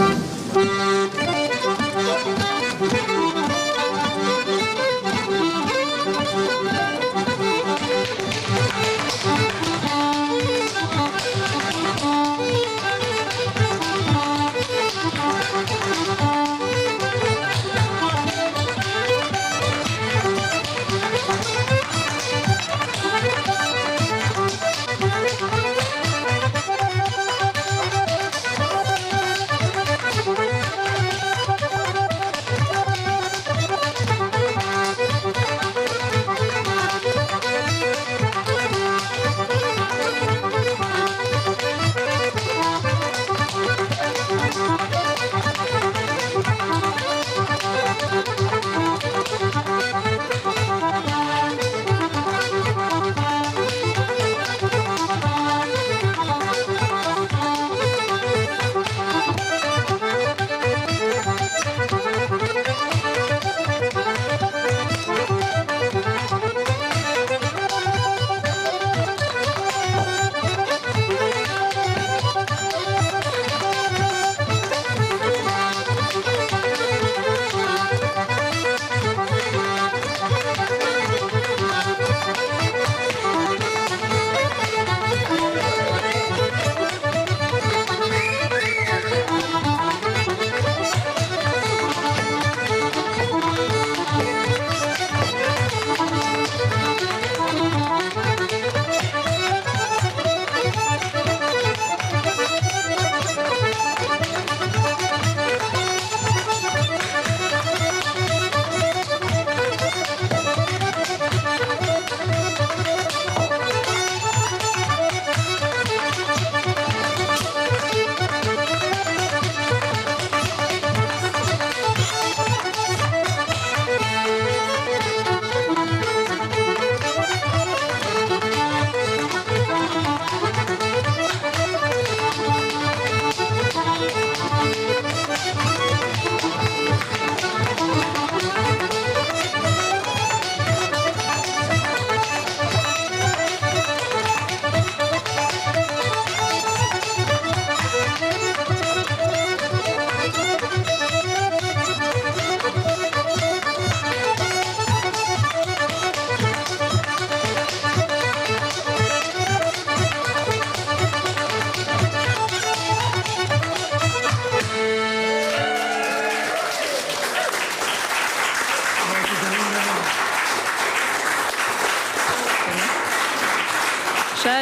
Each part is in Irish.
Sea,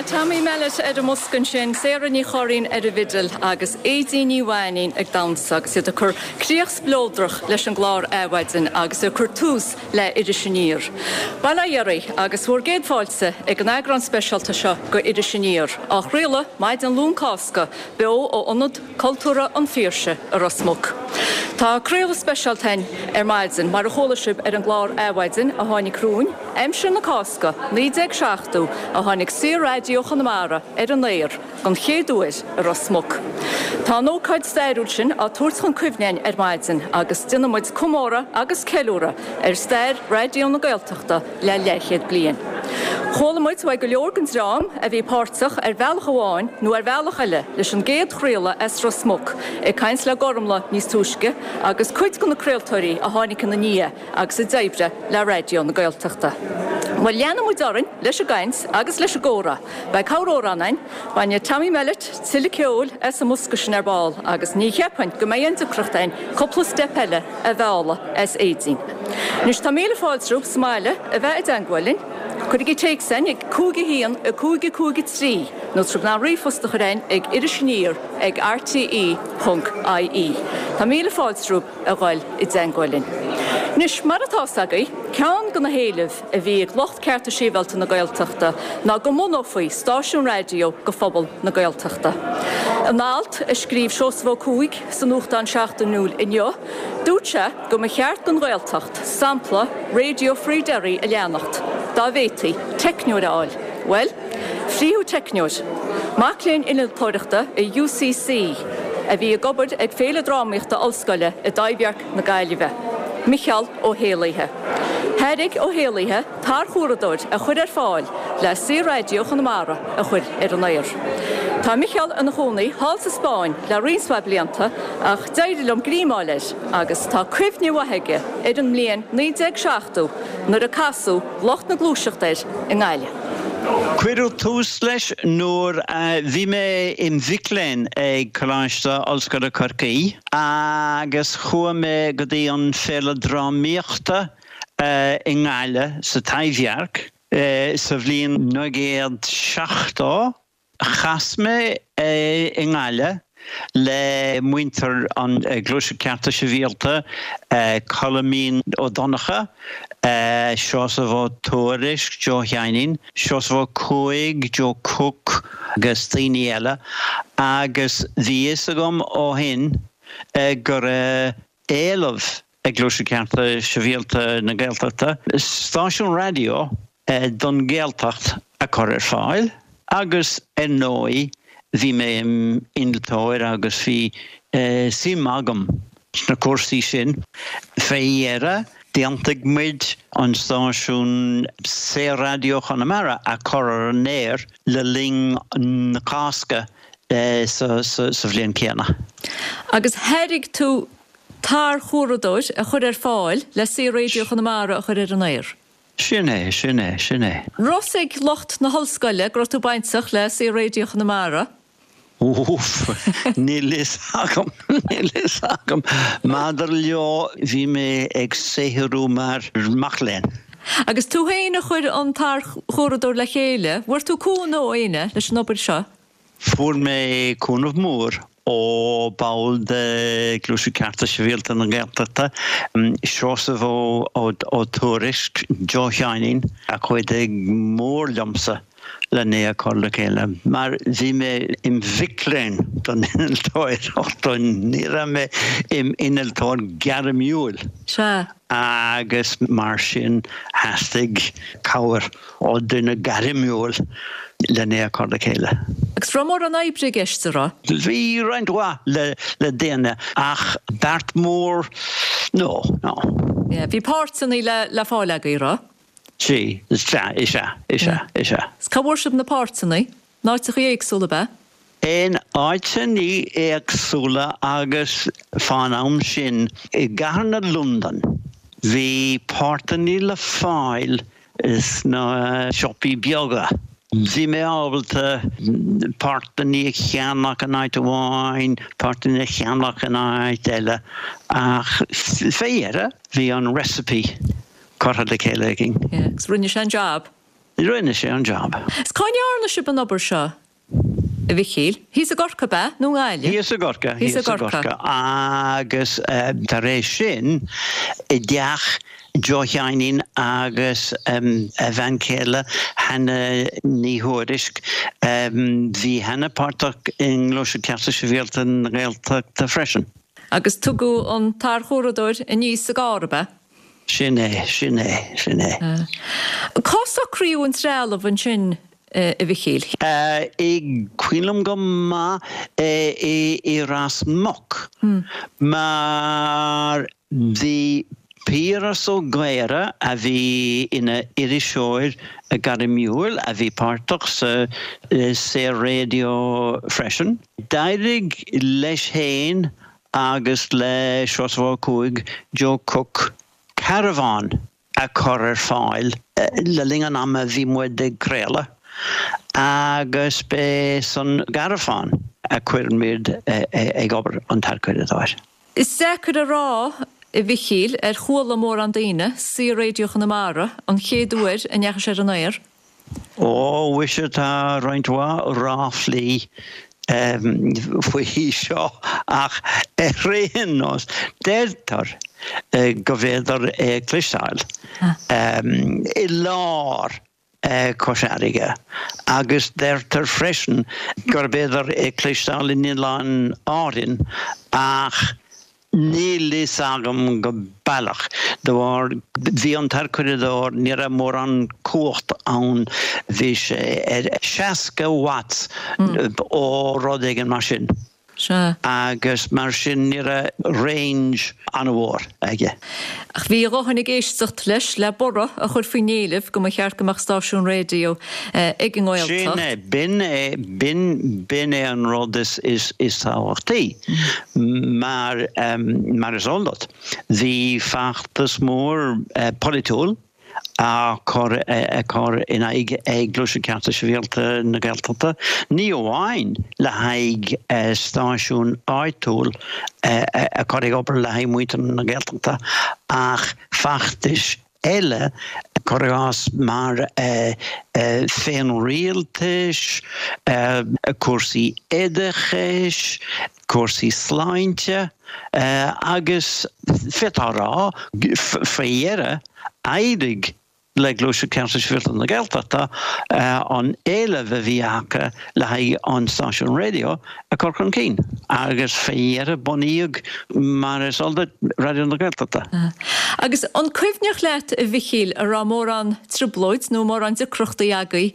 Tommy Mellett ar an mbosca ansin, Sarah Ní Churraoin ar an bhfidil agus Aedín Ní Mhainín ag damhsa agus iad ag cur críoch spleodrach leis an gclár Adhmhaidin agus ag cur tús le Iris Aniar. Bail ó Dhia oraibh agus bhur gcéad fáilte ag an eagrán speisialta seo go Iris Aniar, á chraoladh maidin Luan Cásca beo ó Ionad Cultúrtha an Phiarsaigh i Ros Muc. Tá craoladh speisialta againn ar maidin, mar a chuala sibh ar an gclár Adhmhaidin a tháinig romhainn, aimsir na Cásca 1970 a tháinig Saor-Raidió Chonamara ar an aer don chéad uair i Ros Muc. Tá an ócáid stairiúil sin á tabhairt chun cuimhne againn ar maidin agus déanfaidh muid comóradh agus ceiliúradh ar stair Raidió na Gaeltachta le leathchéad bliain. Chuala muid uaidh go leor den dream a bhí páirteach ar bhealach amháin nó ar bhealach eile leis an gcéad chraoladh as Ros Muc ag caint le Gormlaith níos túisce agus cuid de na craoltóirí a tháinig ina ndiaidh agus a d'oibrigh le Raidió na Gaeltachta. Bhuel, leanfaidh muid orainn leis an gcaint agus leis an gcomhrá. Beidh corr-amhrán againn. Bainfidh Tommy Mellett tuilleadh ceoil as an mbosca sin ar ball agus ní cheapfainn go mbeidh aon deacracht againn cúpla steip eile a mhealladh as Aedín. Anois tá míle fáilte romhaibh sa mbaile a bheith i dteangmháil linn. Cuirigí téacs chugainn ag 5 1 5 5 3 nó tá sibh in ann ríomhphost a chur chugainn ag irisaniar ag rte ponc ie. Tá míle fáilte romhaibh a dhul i dteangmháil linn. Anois mar atá 's agaibh, ceann de na héilimh a bhí ag lucht Cearta Sibhialta na Gaeltachta ná go mbunófaí stáisiún raidió go phobal na Gaeltachta. In alt a scríobh Seosamh Ó Cuaig sa nuachtán seachtainiúil Inniu, dúirt sé go mba cheart don Ghaeltacht sampla Radio Free Derry a leanacht, dá bhféadfaí teicneoir a fháil. Bhuel, frítheadh teicneoir. Mac léinn innealtóireachta i UCC a bhí ag obair ag Féile Drámaíochta Ollscoile i dTaibhdhearc na Gaillimhe, Micheál Ó hÉalaithe. Thairg Ó hÉalaithe tarchuradóir a chur ar fáil le Saor-Raidió Chonamara a chur ar an aer. Tá Micheál ina chónaí thall sa Spáinn le roinnt mhaith blianta ach d'éirigh liom greim a fháil air agus tá cuimhne mhaith aige ar an mbliain 1970 nuair a casadh lucht na gluaiseachta air i nGaillimh. Cuireadh tús leis nuair a bhí mé im mhic léinn ag Coláiste Ollscoile Chorcaí agus chuaigh mé go dtí an Féile Drámaíochta i nGaillimh sa Taibhdhearc sa bhliain 1970. Chas mé i nGaillimh le muintir an Ghluaiseacht Cearta Sibhialta, Coilmín Ó Donnchadha, Seosamh Ó Tuairisg, Joe Sheáinín, Seosamh Ó Cuaig, Joe Cooke agus daoine eile agus bhí fhios agam ó shin go raibh éileamh ag Gluaiseacht Cearta Sibhialta na Gaeltachta stáisiún raidió don Ghaeltacht a chur ar fáil agus ar ndóigh bhí mé im innealtóir agus bhí suim agam sna cúrsaí sin. Fé dheireadh d'aontaigh muid an stáisiún Saor-Raidió Chonamara a chur ar an aer le linn na Cásca sa bhliain céanna. Agus thairg tú tarchuradóir a chur ar fáil le Saor-Raidió Chonamara a chur ar an aer. Sin é, sin é, sin é. Raibh fhios ag lucht na hollscoile go raibh tú bainteach le Saor-Raidió Chonamara? Úf, níl fhios agam, níl fhios agam. Maidir leo, bhí mé ag saothrú mar mac léinn. Agus tú féin a chuir an tarchuradóir le chéile, bhfuair tú cúnamh ó éinne leis an obair seo? Fuair mé cúnamh mór ó ball de Ghluaiseacht Cearta Sibhialta na Gaeltachta, Seosamh Ó Tuairisg, Joe Sheáinín, a chuidigh mór liomsa len é a chur le chéile, mar bhí mé im mhic léinn don innealtóireacht, ní raibh mé im innealtóir gairmiúil. Sea. Agus mar sin theastaigh cabhair ó duine gairmiúil len é a chur le chéile. Agus raibh mórán oibre i gceist, a raibh? Bhí roinnt mhaith le déanamh ach beart mór, no, no. Yeah, bhí páirteanna le le fáil agaibh, raibh? Sea, is ea, is ea, is ea, is ea. Is cá bhfuair sibh na páirteanna? In áiteachaí éagsúla, ab ea? In áiteannaí éagsúla agus fán am sin i gcathair na Londan bhí páirteannaí le fáil sna siopaí beaga. Bhí mé ábalta páirteannaí a cheannach in áit amháin, páirteannaí a cheannach in áit eile ach fé dheireadh bhí an recipe curtha le chéile againn. Yeah, agus rinne sé an job. Rinne sé an job. Is cá ndearna sibh an obair seo, a Mhichíl? Thíos i gCorcaigh, ab ea, nó i nGaillimh? Thíos i gCorcaigh, thíos i gCorcaigh. Agus tar éis sin, i dteach Joe Sheáinín agus a bhean chéile, Hannah Ní Thuairisg. Bhí Hannah páirteach i nGluaiseacht Cearta Sibhialta na Gaeltachta freisin. Agus tugadh an tarchuradóir aníos sa gcarr, ab ea? Sin é, sin é, sin é. Cá socraíodh an trealamh ansin, a Mhichíl? Is cuimhin liom go maith i Ros Muc mar bhí Piaras Ó Gaora a bhí ina iriseoir gairmiúil a bhí páirteach sa Saor-Raidió freisin. D'éirigh leis féin agus le Seosamh Ó Cuaig, Joe Cooke, carbhán a chur ar fáil le linn an ama a bhí muid ag craoladh agus b'é san gcarbhán a chuir muid ag obair an tarchuradóir. Is deacair a rá, a Mhichíl, ar chuala mórán daoine Saor-Raidió Chonamara an chéad uair a ndeachaigh sé ar an aer. Ó, mhuise, tá roinnt mhaith ráflaí faoi seo ach ar aon nós, deirtear go bhféadar é a chloisteáil i lár Chois Fharraige agus deirtear freisin gurb fhéidir é a chloisteáil in Oileáin Árainn ach Níl fhios agam go baileach. De bharr, bhí an tarchuradóir, ní raibh mórán cumhacht ann, bhí sé ar 60 watts ó rud éigin mar sin. Sea. Agus mar sin ní raibh range an-mhór aige. Ach bhí a dhóthain ag éisteacht leis le borradh a chur faoin éileamh go mba cheart go mbeadh stáisiún raidió ag an nGaeltacht. Sin é, b'in é, b'in, b'in é an rud is, is, is tábhachtaí. Mar, mar is eol duit, bhí feachtas mór polaitiúil á chur cur in aghaidh ag Gluaiseacht Cearta Sibhialta na Gaeltachta, ní amháin le haghaidh stáisiún áitiúil a chur ag obair le haghaidh muintir na Gaeltachta ach feachtais eile, cuir i gcás mar féinrialtais, cúrsaí oideachais, cúrsaí sláinte agus d'fhéadfá a rá faoi dheireadh d'éirigh le Gluaiseacht Cearta Sibhialta na Gaeltachta an éileamh a bhí acu le haghaidh an stáisiún raidió a chur chun cinn agus faoi dheireadh bunaíodh, mar is eol duit, Raidió na Gaeltachta. Agus an cuimhneach leat, a Mhichíl, an raibh mórán trioblóid nó mórán deacrachtaí agaibh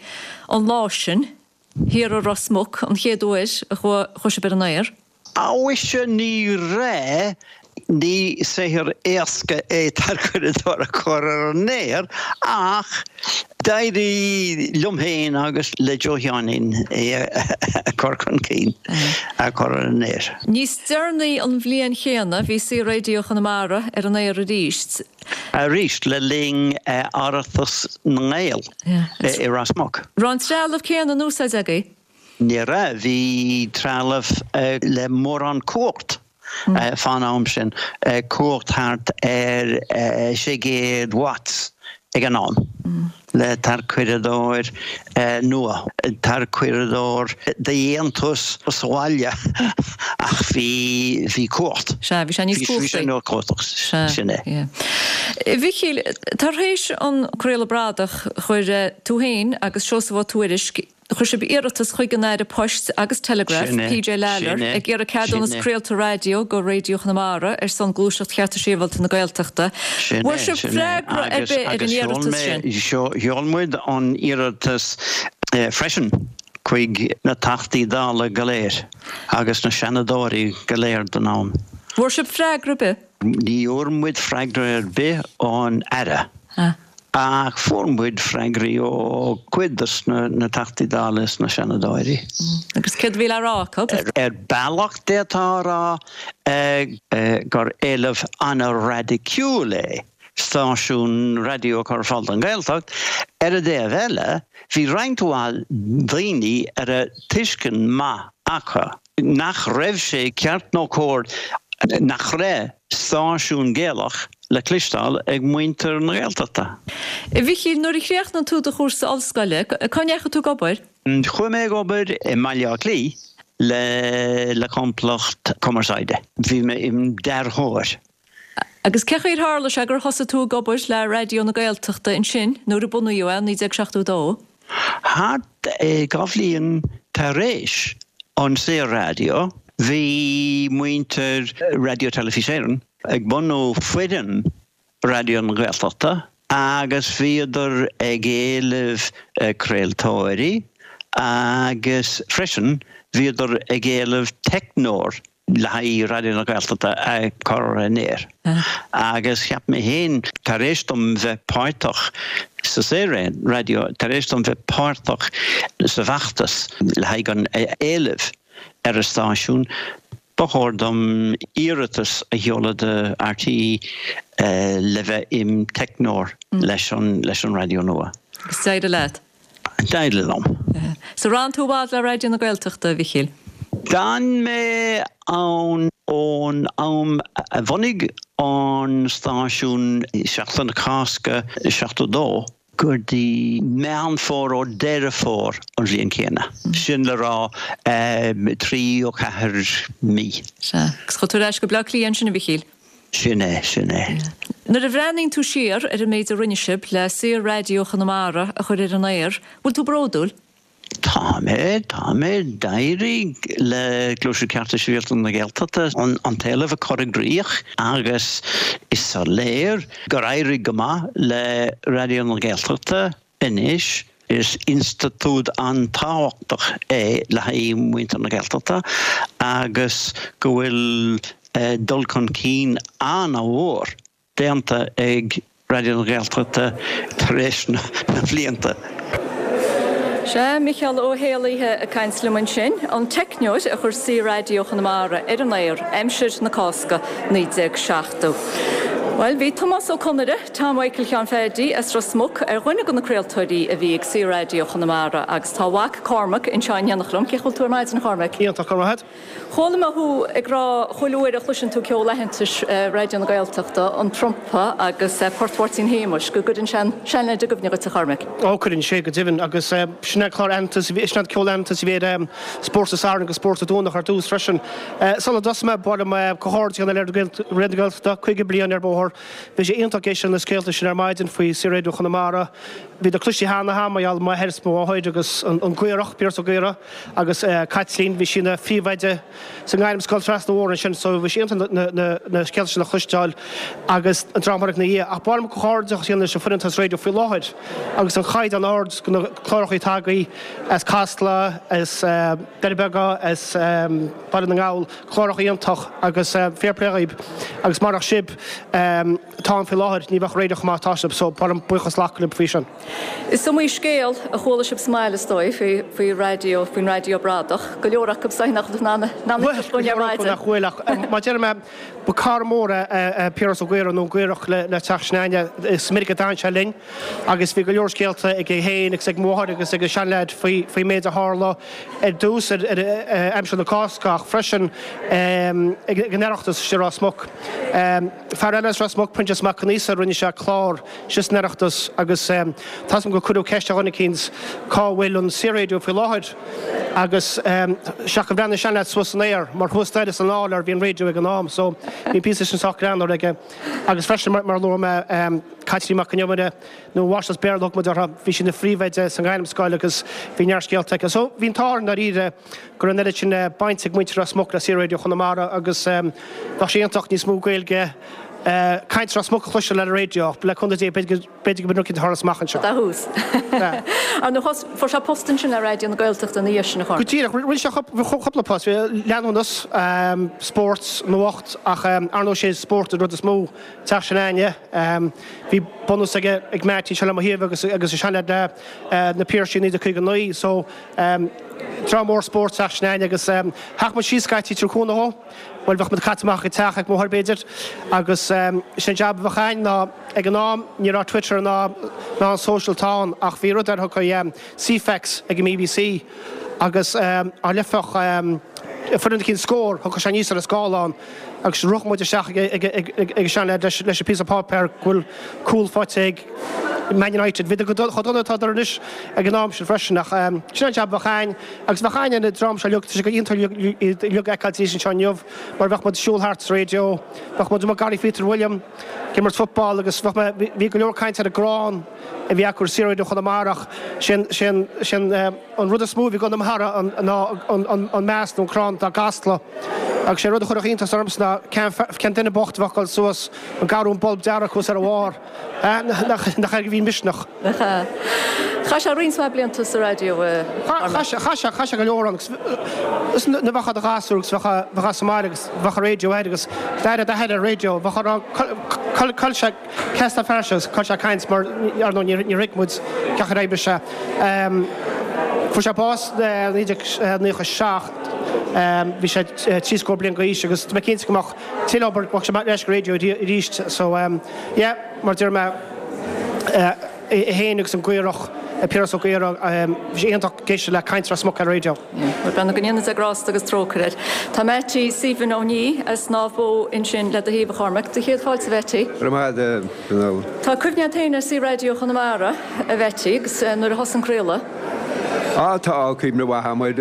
an lá sin? Thiar i Ros Muc an chéad uair a chuaigh sibh ar an aer. Mhuise ní raibh, ní saothar éasca é tarchuradóir a chur ar an aer ach d'éirigh liom féin agus le Joe Sheáinín é a chur chun cinn, a chur ar an aer. Níos deireanaí an bhliain chéanna bhí Saor-Raidió Chonamara ar an aer arís. Arís le linn Oireachtas na nGael i Ros Muc. Raibh an trealamh céanna in úsáid agaibh? Ní raibh. Bhí trealamh le mórán cumhacht fán am sin, cumhacht thart ar 600 watts ag an am, le tarchuradóir nua, tarchuradóir de dhéantús sa bhaile ach bhí, bhí cumhacht. Sea, bhí sé níos cumhachtaí. Bhí sé níos cumhachtaí, Sea, sin é. yeah. A Mhichíl, tar éis an craoladh bradach, chuir tú féin agus Seosamh Ó Tuairisg, Chuir sibh iarratas chuig an Aire Poist agus Teileagraif, Sin é. PJ Lalor, Sin é. ag iarraidh ceadúnas Sin é. craolta raidió go Raidió Chonamara ar son Gluaiseacht Chearta Sibhialta na Gaeltachta. Sin Bhfuair é. sibh Sin é. freagra ar Agus, bith ar an agus sheol iarratas mé, sin? sheol muid an iarratas freisin chuig na Teachtaí Dála go léir agus na Seanadóirí go léir don am. Bhfuair sibh freagra ar bith? Ní fhuair muid freagra ar bith ón Aire. Ach fuair muid freagraí ó chuid de na Teachtaí Dála is na Seanadóirí. Agus céard a bhí le rá acu? Ar bealach d'fhéadfá a rá gur éileamh an-raidiciúil é stáisiún raidió a chur ar fáil don Ghaeltacht. Ar an dtaobh eile, bhí roinnt mhaith daoine a raibh tuiscint maith acu nach raibh sé ceart nó cóir nach raibh stáisiún Gaelach le cloisteáil ag muintir na Gaeltachta. A Mhichíl, nuair a chríochnaigh tú do chúrsa ollscoile, cá ndeachaigh tú ag obair? Chuaigh mé ag obair i mBaile Átha Cliath le le complacht cumarsáide. Bhí mé im dearthóir. Agus cé chaoi ar tharla sé gur thosaigh tú ag obair le Raidió na Gaeltachta ansin nuair a bunaíodh é i 1972? Thart 2 bhliain tar éis an Saor-Raidió, bhí muintir Raidió Teilifís Éireann ag bunú foireann Raidió na Gaeltachta agus bhíodar ag éileamh craoltóirí agus freisin bhíodar ag éileamh teicneoir le haghaidh Raidió na Gaeltachta a chur ar an aer. Agus cheap mé féin, tar éis dom bheith páirteach sa Saor-Raidió, tar éis dom bheith páirteach sa bhfeachtas le haghaidh an éilimh ar an stáisiún, ba chóir dom iarratas a sheoladh do RTÉ le bheith im teicneoir leis an raidió nua. Agus d'éirigh leat? D'éirigh liom. So ar fhan tú i bhfad le Raidió na Gaeltachta, a Mhichíl? D'fhan mé ann ón am a bhunaigh an stáisiún Seachtain na Cásca 72 go dtí Meán Fómhair ó Deireadh Fómhair an bhliain chéanna. Sin le rá 3 ó 4 mí. Sea. Agus chuaigh tú ar ais go Bleá Cliath ansin, a Mhichíl? Sin é, sin é. Nuair a bhreathnaíonn tú siar ar an méid a rinne sibh le Saor-Raidió Chonamara a chur ar an aer, bhfuil tú bródúil? Tá mé, tá mé. D'éirigh le Gluaiseacht Cearta Sibhialta na Gaeltachta an t-éileamh a chur i gcrích agus is soiléir gur éirigh go maith le Raidió na Gaeltachta anois. Is institiúid an-tábhachtach é le haghaidh muintir na Gaeltachta agus go bhfuil dul chun cinn an-mhór déanta ag Raidió na Gaeltachta tar éis na mblianta. Sea, Micheál Ó hÉalaithe ag caint liom ansin, an teicneoir a chuir Saor-Raidió Chonamara ar an aer aimsir na Cásca 1970. Bhuel, bhí Tomás Ó Conaire, Tom Mhichael Sheáin Pheaidí as Ros Muc, ar dhuine de na craoltóirí a bhí ag Saor-Raidió Chonamara agus tá a mhac Cormac anseo in éineacht liom. Cén chaoi a bhfuil tú ar maidin, a Chormaic? Iontach, go raibh maith agat. Chuala mé thú ag rá chuile uair a chloiseann tú ceol aitheantais Raidió na Gaeltachta, an trumpa agus Port Mháirtín Shéamuis, go gcuireann sé an seanleaid i gcuimhne dhuit, a Chormaic. Ó, cuireann sé, go deimhin. Agus sin é clár aitheantais, sin é ceol aitheantais a bhí ar Spórt an Sathairn agus Spórt an Domhnach ar dtús freisin. Sula dtosóidh mé, ba mhaith liom comhghairdeas a dhéanamh le Raidió na Gaeltachta, 50 bliain ar bóthar. Bhí sé iontach éisteacht leis na scéalta sin ar maidin faoi Saor-Raidió Chonamara. Bhíodar cloiste cheana agam mar gheall ar m'athair is mo mháthair agus an Gaorach, Piaras Ó Gaora agus Caitlín, bhí sí ina phríomhoide sa ngairmscoil trasna an bhóthair ansin so bhí sé iontach na scéalta sin a chloisteáil agus an dream a tháinig ina dhiaidh. Ach ba mhaith liom comhghairdeas a dhéanamh leis an foireann atá sa raidió faoi láthair agus an chaighdeán ard de na cláracha atá agaibh as Casla, as Doirí Beaga, as Baile na nGall, cláracha iontach agus fair play dhaoib agus marach sibh atá ann faoi láthair ní bheadh raidió chomh maith atá sibh so ba mhaith liom buíochas a ghlacadh libh faoi sin. Is iomaí scéal a chuala sibh sa mbaile is dóigh faoi faoi raidió, faoin raidió bradach. Go leor acu is dóigh nach bhfuil in ann a Bhuel, go leor acu nach bhfuil ach mar a deir mé ba cara mór é Piaras Ó Gaora nó an Gaorach le teach s'againne. Is minic a d'fhan sé linn agus bhí go leor scéalta aige féin agus ag mo mháthair agus ag an seanleaid faoi faoin méid a tharla ar dtús ar aimsir na Cásca ach freisin ag an Oireachtas istigh i Ros Muc. Fear eile as Ros Muc, Proinsias Mac Con Aosa, rinne sé clár istigh san Oireachtas agus tá 'fhios a'm gur cuireadh ceist ar dhuine eicínt cá bhfuil an Saor-Radio faoi láthair agus seach gur bhreathnaigh an seanleaid suas san aer mar thuas staighre san áiléar a bhí an raidió ag an am so bhí an píosa sin sách greannmhar aige agus freisin mar a luaigh mé Caitlín Mac Con Iomaire nó Máistreás Béarla a thug muid uirthi. Bhí sí ina phríomhoide sa ngairmscoil agus bhí neart scéalta aici. So bhí an t-ádh orainn dáiríre go raibh an oiread sin baint ag muintir Ros Muc le Saor-Radio Chonamara agus bheadh sé iontach níos mó Gaeilge, caint Ros Muc a chloisteáil ar an raidió ach le cúnamh Dé b'fhéidir go mbeidh rud éicint ag tarlú amach anseo. Tá thuas. Ar ndóigh, fuair sé post ansin le Raidió na Gaeltachta ina dhiaidh sin, a Chormaic. Go díreach, rinne sé cúpla post, leanúnas, spórt, nuacht ach ar ndóigh sé spórt an rud is mó. Teach s'againne. Bhí bunús aige ag Mattie anseo le mo thaobh agus agus an seanleaid le Na Piarsaigh 1959 so dream mór spóirt teach s'againne agus theacht muid síos scaití ag tabhairt cúnamh dhó. Bhuel bheadh muid caite amach ag teach ag mo mháthair b'fhéidir agus sin jab a bheadh againn ná ag an am ní raibh Twitter ná ná an social atá ann ach bhí rud ar a thugtaí Ceefax ag an mBBC agus dá leifeadh foireann eicínt scór thiocfadh sé aníos ar an scáileán Agus rith muid isteach ag an seanleaid leis an píosa páipéir go bhfuil cúl faighte ag Man United. Bhíodar chomh dona atá siad anois ag an am sin freisin ach sin an jab a bheadh againn agus bheadh againn an dream seo uilig, tá sé go iontach iad uilig a fheiceáil arís anseo inniu mar bheadh muid ag siúl thart sa raidió, bheadh muid amuigh garraí Phíotair William ag imirt football agus bheadh mé, bhí go leor caint ar an gcrann a bhí acu ar Saor-Radio Chonamara ach sin, sin, sin. An rud is mó a bhí i gConamara ná an mast nó an crann atá i gCasla. Agus sé rud a chuirfeadh iontas ormsa ná cén duine bocht a bheadh ag dul suas an garrún bolb dearg thuas ar a bharr. Nach air a bhí misneach. Chaith sé roinnt mhaith blianta sa raidió a Chormac. Chaith sé, chaith sé go leor ann agus nuair a bheifeá i do ghasúr agus bheifeá sa mbaile agus bheadh an raidió air agus d'aire d'athair ar an raidió bheadh á rá cá bhfuil sé Cé as an fear seo? Chuir sé ag caint mar, ar ndóigh, níor thuig muid cén chaoi ar oibrigh sé. Fuair sé bás i 1997, bhí sé trí scór bliain d'aois agus tá mé cinnte go mbeadh tuilleadh obair, go mbeadh sé ar ais go raidió arís. So, yeah, mar a deir mé, é féin agus an Gaorach, Piaras Ó Gaora, bhí sé iontach ag éisteacht le caint Ros Muc ar an raidió. Bhuel, go ndéana Dia grásta agus trócaire air. Tá Mattie Stephen Ó Nia as Naomh Bó ansin le do thaobh, a Chormaic. Do chéad fáilte, a Mheaití. Go raibh maith agat, a Fhionnuala. Tá cuimhne agat féin ar Saor-Raidió Chonamara, a Mheaití, agus nuair a thosaigh an craoladh? Á, tá cuimhne mhaith agam air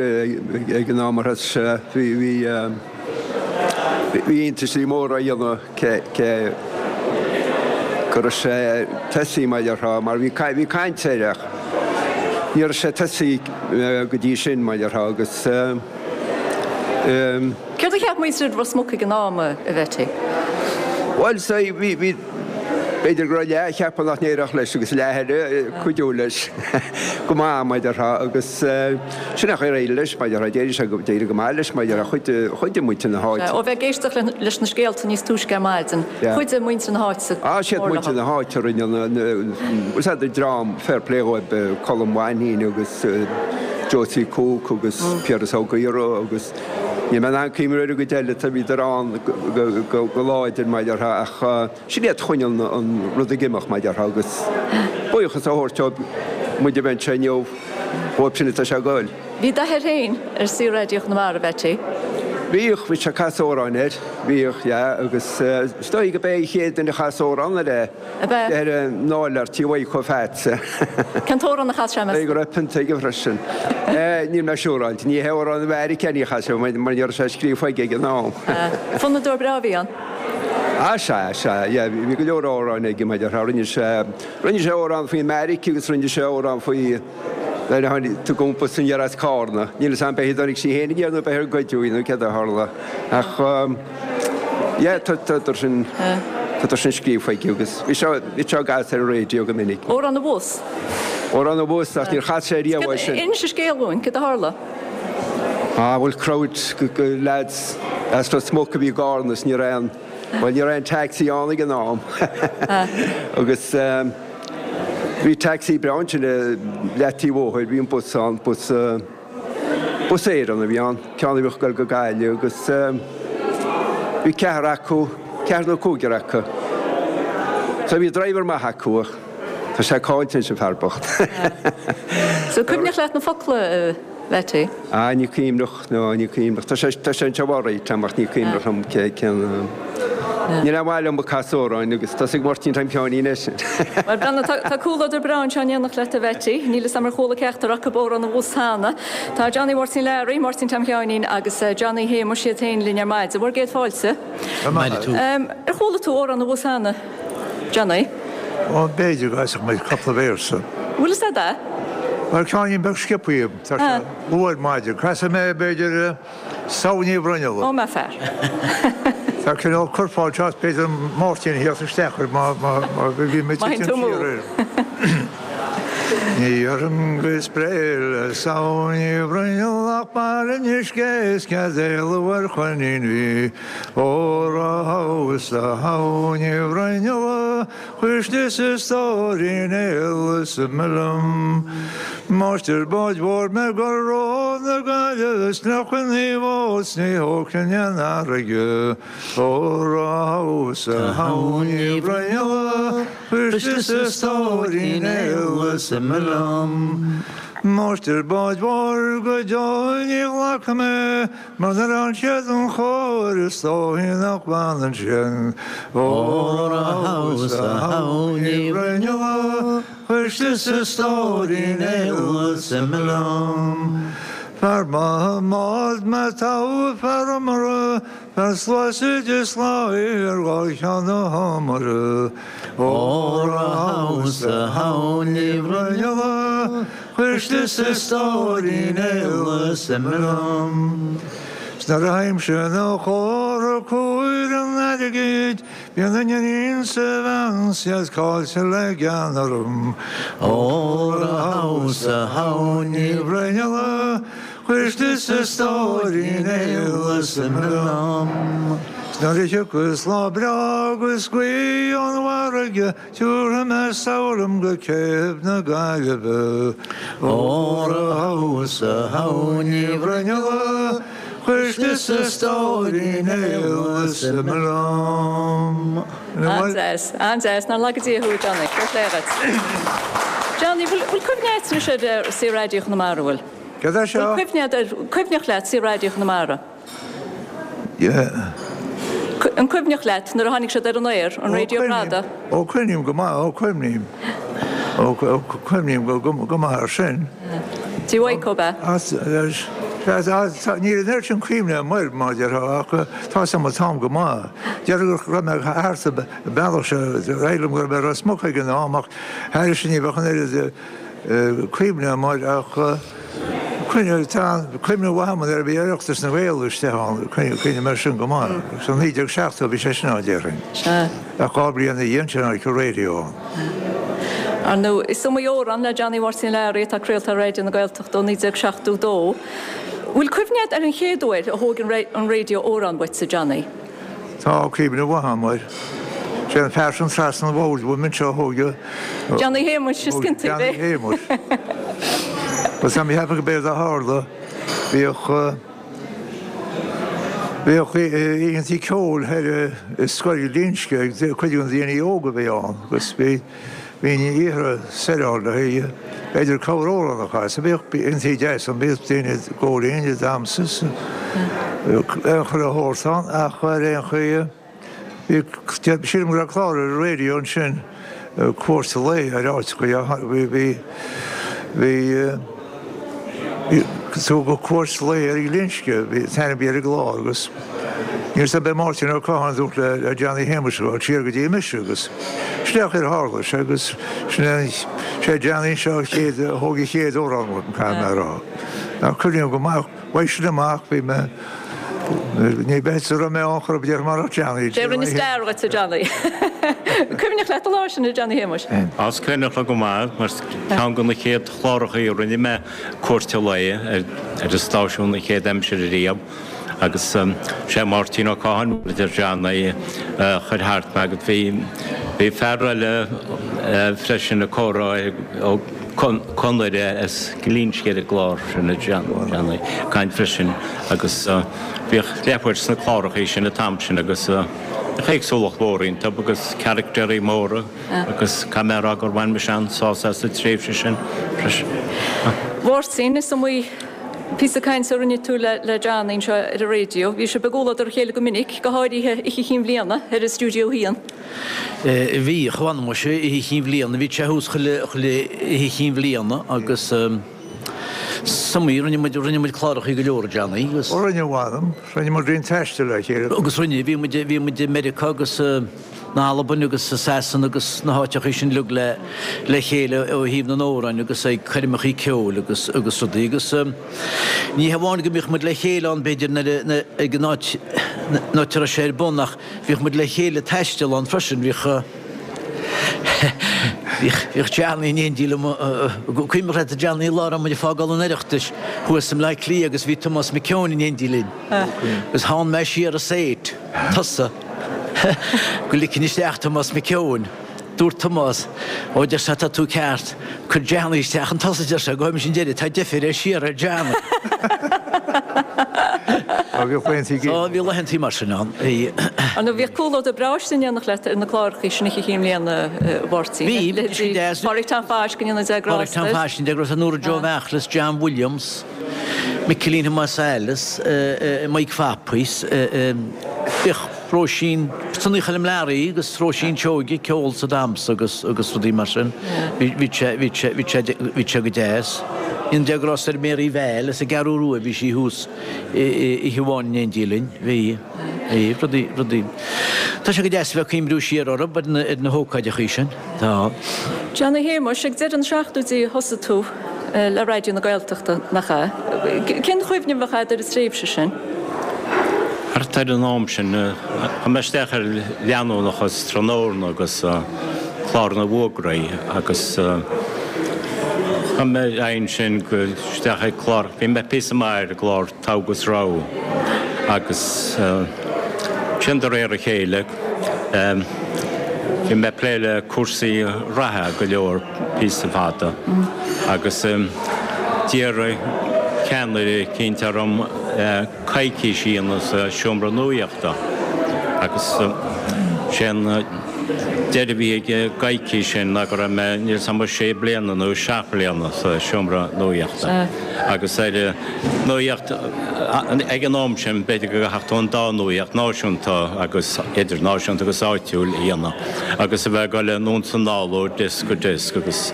ag an am ar thosaigh sé. Bhí, bhí, bhí iontaisí móra á dhéanamh cé, cé go raibh sé tosaithe mar a déarfá, mar bhí, bhí caint air ach ní raibh sé tosaithe go dtí sin, mar a déarfá, agus. Céard a cheap muintir Ros Muc ag an am, a Mheaití? Bhuel, sea, bhí, bhí. B'fhéidir go raibh leath ag ceapadh nach n-éireodh leis agus leath eile ag cuidiú leis go maith, mar a déarfá, agus sin é an chaoi ar éirigh leis, mar a déarfá, d'éirigh sé, d'éirigh go maith leis, mar a déarfá, chuidigh, chuidigh muintir na háite. Ó bheith ag éisteacht leis na scéalta níos túisce ar maidin, chuidigh muintir na háite go mór leo. Siad muintir na háite a rinne na, na, sea, dream, fair play dhóibh, Colm Mhainnín agus Josie Cooke agus Piaras Ó Gaora agus níl mé in ann cuimhneamh ar an gcuid eile, bhíodar ann go láidir, mar a déarfá, ach. Sin iad a choinnigh an rud ag imeacht, mar a déarfá, agus buíochas a thabhairt dóibh, muid a bheith anseo inniu, dhóibh sin atá sé ag goil. Bhí d'athair féin ar Saor-Raidió Chonamara, a Mheaití? Bhíodh, bhí sé ag casadh amhráin air, bhíodh, yeah, agus is dóigh go b'é an chéad duine a chas amhrán air é. Ab ea? Ar an áiléar tí Mhaidhc Pheaits. Cén t-amhrán a chas sé, meas tú? Go raibh pionta aige freisin. Níl mé siúráilte. Ní hé amhrán Mheiriceá ní chas sé mar ní raibh sé scríofa aige ag an am. Fonnadóir breá a bhí ann. Ah sea, sea, yeah, bhí go leor amhráin aige mar a déarfá. Rinne sé, rinne sé amhrán faoi Mheiriceá agus rinne sé amhrán faoi nuair a tháinig, tugadh iompar aniar as Cárna. Níl 'fhios a'm b'é a tháinig sí féin aniar nó b'é ar goideadh í nó céard a tharla. Ach yeah, tá, tá sin, tá sin scríofa aige agus bhí sé, bhí sé á gcasadh ar an raidió go minic. Amhrán an Bhus. Amhrán an Bhus ach níor chas sé riamh é sin. Inis an scéal dúinn, céard a tharla? Ah bhuel crowd de lads as Ros Muc a bhí i gCárna is ní raibh aon, bhuel ní raibh aon taxi ann ag an am agus bhí taxi breá ansin le leataobh bóthair, bhí an bus ann, bus, Bus Éireann a bhí ann, ceann a bhíodh ag dul go Gaillimh agus bhí ceathrar acu, ceathrar nó cúigear acu. So bhí driver maith acu ach tá sé caillte anois an fear bocht. So cuimhneach leat na focla a Mheaití? Ah ní cuimhneach, no ní cuimhneach. Tá sé, tá sé anseo alright agam ach ní cuimhneach liom cé, cén. Níl aon mhaith liom ag casadh amhráin agus tá a fhios ag Máirtín Tom Sheáinín é sin. Bhuel, Breandán, tá, tá comhluadar breá anseo in éineacht leat, a Mheaití. Níl 'fhios a'm ar chuala ceachtar acu Amhrán an Bhus cheana. Tá Johnny Mháirtín Learaí, Máirtín Tom Sheáinín agus Johnny Shéamuis iad féin linn ar maidin. Bhur gcéad fáilte. Maith thú. Ar chuala tú Amhrán an Bhus cheana, Johnny? Ó, b'fhéidir go gcasfadh muid cúpla véarsa. Bhfuil 'fhios a'd é? Bhuel, ceainnín beag sciobtha, tá sé luath ar maidin. Casfaidh mé, b'fhéidir, Samhain Ní Bhruinnealla. Ó, maith fear. Tá cineál curfá anseo is b'fhéidir Máirtín a theacht isteach air má bhí mé Maith titim tú. siar air. Ní dhéarfainn go spré le Samhain Ní Bhruinnealla ach bail an uisce is cead éalú ar choinín bhí. Óra thomhas a Shamhain Ní Bhruinnealla Cuisle 's a stóirín aol is ime liom. Máistir báid mhóir mé ag dul ród na Gaillimhe is fliuchfainn í bhfós ní thógfainn an fharraige. Óra thomhas a Shamhain Ní Bhruinnealla, cuisle 's a stóirín aol is ime liom. Máistir báid mhóir go deo ní ghlacfaidh mé Mar nuair a fhanann siad an chóir is dóichí nach bhfanann sin. Óra thomhas a Shamhain Ní Bhruinnealla, cuisle 's a stóirín aol is ime liom. Fear maith i mbád mé togha fear iomaire, fear sluasaid is láí ar dhul cheann na hiomaire. Óra thomhas a Shamhain Ní Bhruinnealla, Cuisle 's a stóirín aol is ime liom. 'S nuair a théimse 'na chomhartha cúir an airgid, bíonn an iníon 's a bhean 's iad caillte le gean orm. Óra thomhas a Shamhain Ní Bhruinnealla, cuisle 's a stóirín aol is ime liom. 'S nuair a thiocfas lá breá agus gaoth ón bhfarraige, Tiúrfaidh mé soir liom go céibh na Gaillimhe. Óra thomhas a Shamhain Ní Bhruinnealla, cuisle 's a stóirín aol is ime liom. An-deas, an-deas. Nár laga Dia thú, a Johnny. Fair play dhuit. Johnny, bhfuil cuimhne agat anois ar Saor-Raidió Chonamara, bhfuil? Céard é seo? Bhfuil cuimhne agat ar, cuimhneach leat Saor-Raidió Chonamara? An cuimhneach leat nuair a tháinig siad ar an aer, an raidió fada? Ó cuimhním go maith, ó cuimhním. Ó cuimhním go maith air sin. Tí Mhaidhc, ab ea? Níl an oiread sin cuimhne agam air, mar a déarfá, ach tá 'fhios agam an t-am go maith. Déarfainn go raibh mé thart sa bealach seo, éirigh liom go raibh mé i Ros Muc ag an am ach thairis sin ní bheadh an oiread cuimhne agam air ach. Cuimhne, tá cuimhne mhaith agam nuair a bhí Oireachtas na nGael istigh ann, cuimhním air sin go maith. Sa 1970 bhí sé sin ann, déarfainn. Sea. Ach 2 bliain ina dhiaidh sin tháinig an raidió ann. Ar ndóigh, is iomaí amhrán le Johnny Mháirtín Learaí atá craolta ar Raidió na Gaeltachta ó 1972. Bhfuil cuimhne agat ar an chéad uair a thóg an raidió amhrán uait, a Johnny? Tá cuimhne mhaith agam air. Sé an fear sin trasna an bhoird uaim anseo a thóg a. Johnny Shéamuis, is cinnte é. Johnny Shéamuis. Agus tá mé ag ceapadh go b'éard a tharla, bhíodh, bhíodh oícheantaí ceoil thoir i Scoil Ghlinsce ag cuid de na daoine óga a bhí ann agus bhí, bhínn iarrtha soir ann le haghaidh, b'fhéidir corr-amhrán a chasadh. Bhíodh oícheantaí deas ann, bhíodh daoine ag gabháil fhoinn, ag damhsa is chuile shórt ann ach ar aon chaoi, bhí, sílim go raibh clár ar an raidió ansin, Cuairt Lae ar áiteacha, bhí, bhí, bhí, tugadh cuairt lae ar Ghlinsce, bhí an t-ainm a bhí ar an gclár agus níl 's agam ab é Máirtín Ó Catháin a dúirt le Johnny Shéamuis a ghabháil siar go dtí mise agus sin é an chaoi ar tharla sé agus sin é, sé Johnny seo a chéad, a thóg a chéad amhrán uaim, caithfidh mé a rá. Ach cuimhním go maith, uaidh sin amach bhí mé, ní bheadh a raibh mé ann chor ar bith déarfainn murach Johnny. Sé a rinne stair dhuit, a Johnny. Cuimhneach leat an lá sin, a Johnny Shéamuis? Á, is cuimhneach liom go maith, mar ceann de na chéad chlárachaí a rinne mé Cuairt an Lae ar an stáisiún an chéad aimsir ariamh agus sé Máirtín Ó Catháin, mar a deir Johnny, a chuir thart mé agus bhí bhí fear eile freisin ag comhrá Ó Conaire as Glinsce ar an gclár sin a Johnny, ag caint freisin agus bhíodh leathuair sna clárachaí sin an t-am sin agus bhíodh éagsúlacht mhór iontu agus caractéirí móra. Agus caithfidh mé a rá gur bhain mise an-sásamh as an tréimhse sin freisin. Mháirtín, is iomaí píosa cainte a rinne tú le Johnny anseo ar an raidió. Bhí sibh i gcomhluadar a chéile go minic, go háirithe Oíche Chinn Bhliana thoir i Stiúideo a hAon. Bhí, a mh'anam muise, Oíche Chinn Bhliana, bhí sé thuas chuile Oíche Chinn Bhliana agus is iomaí, rinne muid, rinne muid clárachaí go leor, a Johnny, agus. Ó rinne, a mh'anam, rinne muid roinnt taistil le chéile. Agus rinne, bhí muid, bhí muid i Meiriceá agus. na Albain agus i Sasana agus na háiteachaí sin uilig le le chéile ó thaobh na n-amhráin agus ag coirmeachaí ceoil agus agus rudaí agus ní hamháin go mbíodh muid le chéile ann b'fhéidir nuair a ag an áit an áit a raibh sé ar bun ach bhíodh muid le chéile ag taisteal ann freisin bhíodh bhíodh bhíodh Johnny in éindí liom cuimhneach leat a Johnny lá a raibh muid ag fágáil an Oireachtais thuas i mBleá Cliath agus bhí Tomás Mac Eoin in éindí linn agus theann mé siar an seat tusa Go ligfinn isteach Tomás Mac Eoin. Dúirt Tomás, Ó, deir sé, tá tú ceart. Cuir Johnny isteach chun tosaigh, deir sé, gabhfaidh mise an deireadh, tá deifir air siar ar Johnny. Ó, bhíodh laethantaí Ó, bhí laethantaí mar sin ann. Bhí. Ar ndóigh, bhíodh comhluadar breá istigh in éineacht leat ar na clárachaí sin Oíche Chinn Bhliana, a Mháirtín. Bhí, bhí sin deas. Pádraig Tom Phaisc, go ndéana Dia grásta air. Pádraig Tom Phaisc, go ndéana Dia grásta air, Nóra Joe Mheachlis, John Williams. Micilín Thomáis Ailis, Mike Phappies, bhíodh Róisín, Sonaí Choilm Learaí agus Róisín Seoige, ceol 's damhsa agus agus rudaí mar sin. Bhí sé, bhí sé, bhí sé, bhí sé go deas. Go ndéana Dia grásta ar Mary Val as an gCeathrú Rua, bhí sí thuas oíche amháin in éindí linn. Bhí, bhí, rudaí, rudaí. Tá sé go deas a bheith ag cuimhniú siar orthu, ar na, ar na hócáideachaí sin. Tá. Johnny Shéamuis, ag deireadh na seachtóidí a thosaigh tú le Raidió na Gaeltachta, nach ea? Cén chuimhne a bheadh agat ar an tréimhse sin? Thart ar an am sin, chuaigh mé isteach ar leanúnachas tráthnóna agus clár na bhfógraí agus chuaigh mé ar aghaidh ansin go isteach ag clár, bhí mé píosa maith ar an gclár Togha agus Rogha agus sin de réir a chéile. Bhí mé ag plé le cúrsaí reatha go leor píosa fada agus d'iarr ceannaire eicínt orm coicís a dhéanamh sa seomra nuaíochta agus sé an deireadh a bhí ag an gcoicís sin ná go raibh mé, níl 's a'm, sé bliana nó seacht mbliana sa seomra nuaíochta agus ar Nuaíocht, Ag an am sin, b'fhéidir go gcaithfeadh tú an dá nuaíocht, náisiúnta agus idirnáisiúnta agus áitiúil, a dhéanamh agus a bheith ag dul anonn 's anall ó deasc go deasc agus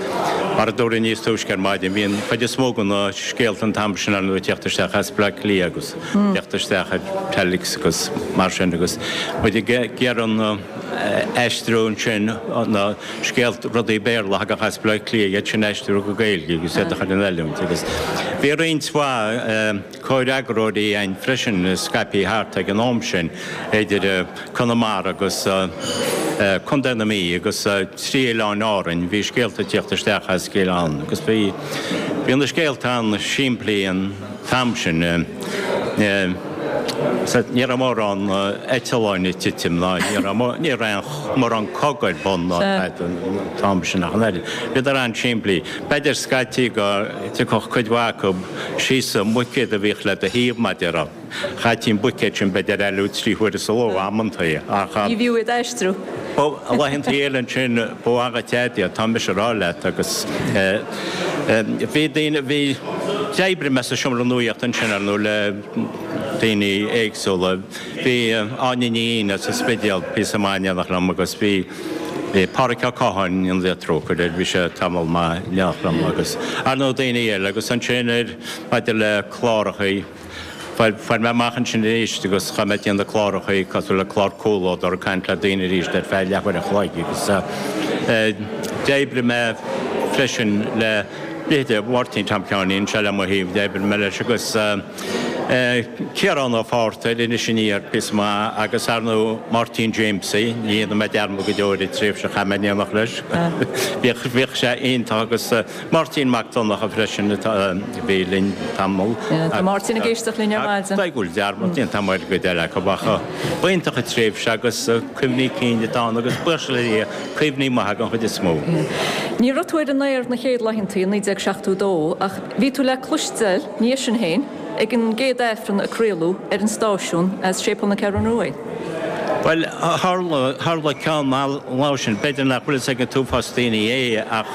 mar a dúradh níos túisce ar maidin, bhí an chuid is mó de na scéalta an t-am sin ar ndóigh ag teacht isteach as Bleá Cliath agus ag teacht isteach ar telex agus mar sin agus muid ag iarraidh an. aistriú ansin na scéalta, rudaí Béarla a thagadh as Baile Átha Cliath, iad sin a aistriú go Gaeilge agus iad a chur in oiliúint agus bhí roinnt mhaith comhfhreagróirí againn freisin scaipthe thart ag an am sin idir Conamara agus Contae na Mí agus trí oileáin Árainn, bhí scéalta ag tíocht isteach as gach oileán agus bhí bhí na scéalta an-simplí an t-am sin. Ní raibh mórán eitleáin ag titim ná ní raibh ní raibh mórán cogadh ar bun ná tada an t-am sin ach an oiread. Bhíodar an-simplí. B'fhéidir scaití go dtiocfadh cuid mhaith acu síos sa mbuicéad a bhíodh le do thaobh mar a déarfá. Chaití an buicéad sin b'fhéidir a fhliuchadh trí huaire sa ló amantaí ach. Ní bhfiú iad a aistriú. Laethantaí eile ansin ba mhaith dhuit iad, tá mise a rá leat agus bhí daoine, bhí, d'oibrigh mé sa seomra nuachta ansin ar ndóigh le daoine éagsúla. Bhí Áine Ní Fhinn as an Spidéal píosa maith in éineacht liom agus bhí Páraic Ó Catháin, go ndéana Dia trócaire air, bhí sé tamall maith in éineacht liom agus ar ndóigh daoine eile agus ansin ar maidir le clárachaí, Fuair mé amach ansin arís agus chuaigh mé ag déanamh clárachaí cosúil le clár Comhluadar ag caint le daoine arís ar feadh leathuair an chloig agus d'oibrigh mé freisin le leithéide Mháirtín Tom Sheáinín anseo le mo thaobh, d'oibrigh mé leis agus Ciarán Ó Fátharta ar Iris Aniar píosa maith agus ar ndóigh Máirtín Jamesie, ní dhéanfaidh mé dearmad go deo ar an tréimhse a chaith mé in éineacht leis, bhíodh sé iontach agus. Máirtín Mac Donncha freisin a bhí linn tamall. Tá Máirtín ag éisteacht linn ar maidin. Tá go bhfuil dearmad déanta agam ar an gcuid eile acu ach ba iontach an tréimhse agus cuimhní cinn atá ann agus buíochas le Dia cuimhní maithe den chuid is mó. Ní raibh tú ar an aer na chéad laethantaí i 1972 ach bhí tú le cloisteáil ina dhiaidh sin féin ag an gcéad Aifreann a craoladh ar an stáisiún as Séipéal na Ceathrún Rua. Bhuel, tharla, tharla ceann an lá sin, b'fhéidir nach bhfuil fhios ag an t-uafás daoine é ach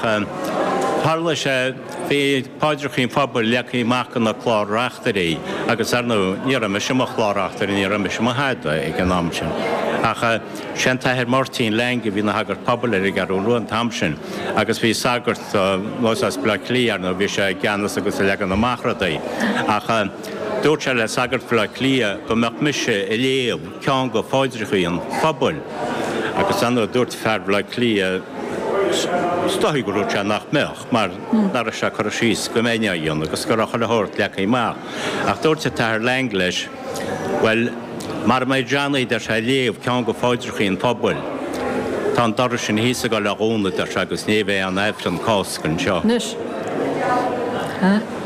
tharla sé, bhí paidreachaí an phobail leagtha amach ina clár-reachtairí agus ar ndóigh ní raibh mise i mo chlár-reachtaire, ní raibh mise i mo thada ag an am sin. Ach sé an tAthair Máirtín Lang a bhí ina shagart pobail ar an gCeathrú Rua an t-am sin agus bhí sagart as Baile Átha Cliath, ar ndóigh, bhí sé i gceannas agus ag leagan amach rudaí ach, Dúirt sé le sagart Bhaile Átha Cliath go mbeadh mise ag léamh ceann de pháidreachaí an phobail agus ar ndóigh dúirt fear Bhaile Átha Cliath is dóigh gur dhúirt sé nach mbeadh mar nach raibh sé curtha síos go mbeinn á dhéanamh agus go raibh chuile shórt leagtha amach. Ach dúirt an tAthair Lang leis, Bhuel, mara mbeidh Johnny, deir sé, ag léamh ceann de pháidreachaí an phobail, tá an doras sin thíos ag dul a dhúnadh, deir sé, agus ní bheidh aon Aifreann Cásca anseo. Anois.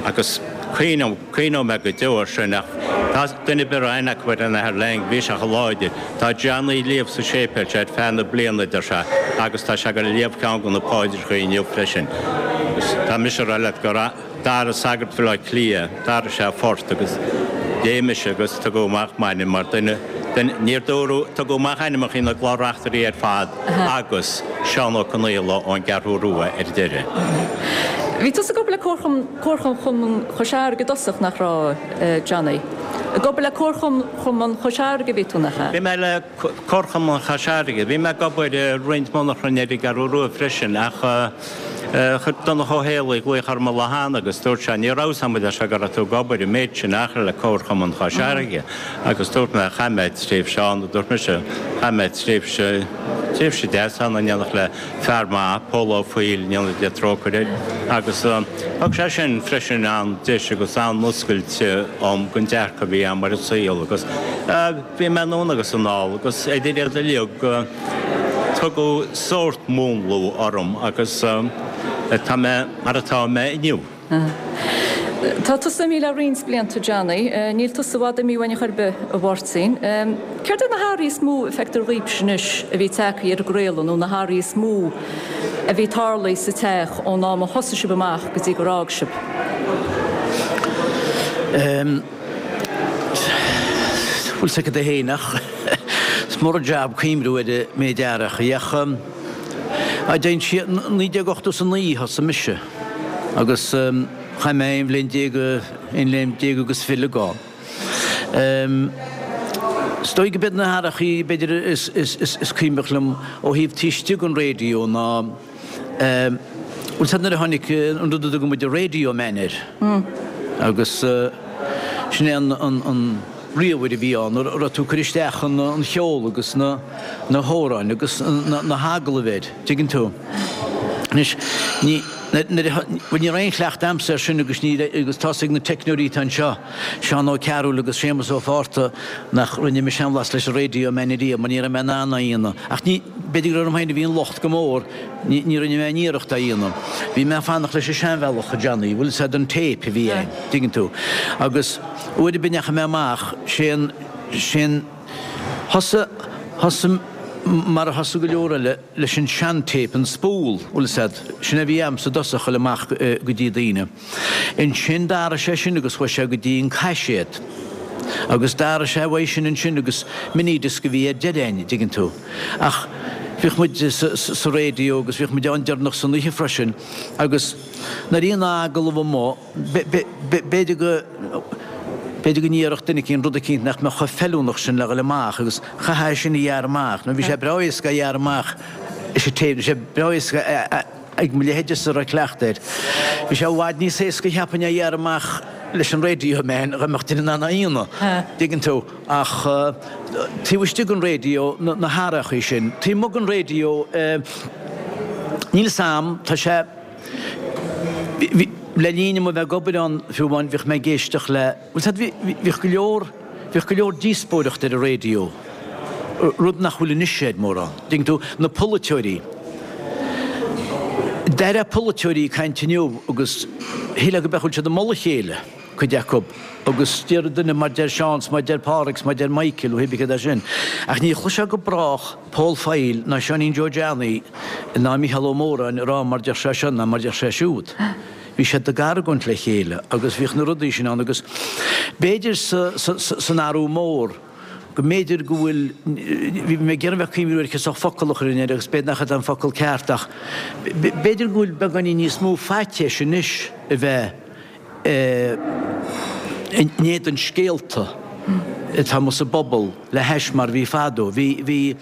Agus. Cuimhneoidh mé go deo air sin ach tá duine ar bith a raibh aithne acu ar an Athair Lang, bhí sé chomh láidir. Tá Johnny ag léamh sa séipéal seo ar feadh na bliana, a deir sé, agus tá sé ag dul a léamh ceann de na paidreacha inniu freisin. Agus tá mise ag rá leat gur d'athraigh sagart Bhaile Átha Cliath, d'athraigh sé a phort agus léigh mise agus tugadh amach m'ainm mar duine den, níor dúradh, tugadh amach ainmneacha na gclár-reachtairí ar fad agus Seán Ó Conaola ón gCeathrú Rua ar deireadh. Bhí tusa ag obair le Comharchumann Chois Fharraige i dtosach, nach raibh, Johnny? Ag obair le Comharchumann Chois Fharraige a bhí tú, nach ea? Bhí mé le Comharchumann Chois Fharraige. Bhí mé ag obair i roinnt monarchan ar an gCeathrú Rua freisin ach chuir Donncha Ó Héalaí glaoch orm an lá cheana agus dúirt sé, ní raibh 'fhios a'm, a deir sé, go raibh tú ag obair an méid sin achar le Comharchumann Chois Fharraige agus dúirt mé, chaith mé tréimhse ann, a dúirt mise, chaith mé tréimhse, tréimhse deas ann in éineacht le fear maith, Pól Ó Foighil, go ndéana Dia trócaire air, agus thug sé sin freisin an-deis agus an-oscailt dom don dearcadh a bhí agam ar an saol agus bhí mé anonn agus anall agus idir iad uilig tugadh sórt múnlú orm agus tá mé mar atá mé inniu. Tá tusa imithe le roinnt blianta, Johnny. Níl tusa i bhfad imithe uainn ar chor ar bith, a Mháirtín. Céard iad na hathruithe is mó a feictear dhaoibhse anois a bhí tagtha ar an gcraoladh nó na hathruithe is mó a bhí tarlaithe sa teach ón am a thosaigh sibh amach go dtí gur fhág sibh? Bhfuil 's agat féin ach is mór an jab cuimhniú ar an méid athrachaí ach dtéann sí 1989 thosaigh mise. Agus chaith mé aon bhliain déag, aon bhliain déag agus fileag ann. Is dóigh go b'iad na hathrachaí b'fhéidir is, is, is, is cuimhneach liom ó thaobh taobh istigh den raidió ná, bhfuil 's a'd nuair a tháinig an rud a dtugann muid an Radio Man air agus sin é an, an, an. ríomhaire a bhí ann, a raibh tú ag cur isteach an cheol agus na na hamhráin agus na hagallaimh air, tuigeann tú. Anois, ní, nuair a, bhuel ní raibh aon chleachtadh a'msa air sin agus ní, agus tá's ag na teicneoirí atá anseo, Seán Ó Cearúil agus Séamus Ó Fátharta, nach rinne mise aon bhlas leis an Radio Man ariamh mar ní raibh mé in ann é a dhéanamh. Ach ní, b'fhéidir gur orm féin a bhí an locht go mór, ní, ní rinne mé aon iarracht é a dhéanamh. Bhí mé ag fanacht leis an seanbhealach, a Johnny, bhfuil 'fhios a'd an tape a bhí a'inn, tuigeann tú. Agus uair ar bith a ndeachaigh mé amach, sé an, sé an, thosaigh, thosaigh mar a thosaigh go leor eile leis an sean-tape, an spool, bhfuil 'fhios a'd, sin a bhí a'msa i dtosach, a dhul amach go dtí daoine. Ansin d'athraigh sé sin agus chuaigh sé go dtí an caiséad. Agus d'athraigh sé uaidh sin ansin agus minidisc a bhí ar deireadh a'inn, dtuigeann tú. Ach bhíodh muid sa raidió agus bhíodh muid ann deireanach san oíche freisin agus nuair a bhí an agallamh amuigh, b'fhéidir go, b'fhéidir go ndéarfadh duine eicínt rud eicínt nach mbeadh chomh feiliúnach sin le dhul amach agus chaithfeá é sin a ghearradh amach. Nó bhí sé breá éasca a ghearradh amach leis an tape, bhí sé breá éasca a. Ag mo leithéidese a raibh cleachtadh air, bhí sé i bhfad níos éasca cheapfainn é a ghearradh amach leis an Radio Man dá mbeadh duine in ann é a dhéanamh, dtuigeann tú. Ach taobh istigh den raidió, na hathrachaí sin, taobh amuigh den raidió, níl 'fhios a'm, tá sé, le linn dom a bheith ag obair ann fiú amháin, bhíodh mé ag éisteacht le, Bhuel, sea, bhíodh go leor, bhíodh go leor díospóireacht ar an raidió, rud nach bhfuil anois air mórán. Dtuigeann tú, na polaiteoirí. D'airfeá polaiteoirí ag caint inniu agus shílfeá go bhfuil siad ag moladh a chéile, cuid acu, agus deir duine mar deir Seán 's mar deir Pádraig 's mar deir Michael, nó pé céard é sin. Ach ní chloisfeá go brách Paul Foyle ná Seáinín Joe Johnny ná Mícheál Ó Móráin ag rá mar deir sé seo ná mar deir sé siúd. Bhí siad ag argóint le chéile agus bhíodh na rudaí sin ann agus b'fhéidir san athrú mór go mb'fhéidir go bhfuil, bhí mé ag iarraidh bheith cuimhniú ar cén focal a chuirfinn air agus b'fhéidir nach é an focal ceart ach b'fhéidir go bhfuil beagáinín níos mó faitíos anois a bheith in éadan scéalta atá amuigh sa bpobal le hais mar a bhí fadó. Bhí, bhí,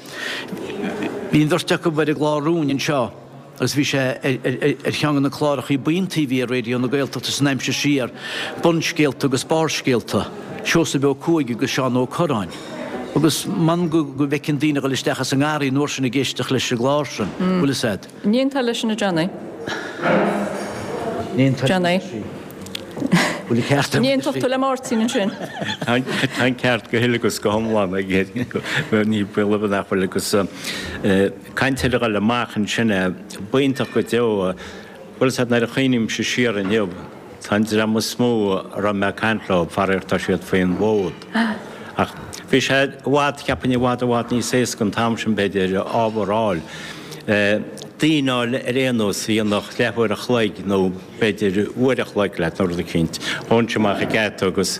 bhí an bheirt acu ar an gclár Rúin anseo. agus bhí sé ar cheann de na clárachaí ba iontaí a bhí ar Raidió na Gaeltachta san aimsir siar, Bunscéalta agus Barrscéalta, Seosamh Ó Cuaig agus Seán Ó Curráin. Agus m'anam go bhfeicfinn daoine ag dul isteach as an ngarraí an uair sin ag éisteacht leis an gclár sin, bhfuil fhios a'd. Ní aontófá leis sin a Johnny. Ní aontóinn Johnny. Bhfuil an ceart Ní aontódh tú le Máirtín ansin. Tá an ceart go huile agus go hiomlán aige. Ní baol ar bith nach bhfuil agus Caint ar a dhul amach ansin é. B'iontach go deo. Bhuel, sea, nuair a chuimhnímse siar inniu, tá an dream is mó a raibh mé ag caint leo, faraor tá siad faoin bhfód. Ach bhí sé i bhfad, cheapfainn, i bhfad, i bhfad níos éasca an t-am sin, b'fhéidir, ábhar a fháil. Daoine a fháil ar aon nós a dhéanfadh leathuair a chloig nó b'fhéidir uair a chloig leat nó rud eicínt. Ghabhainnse amach an geata agus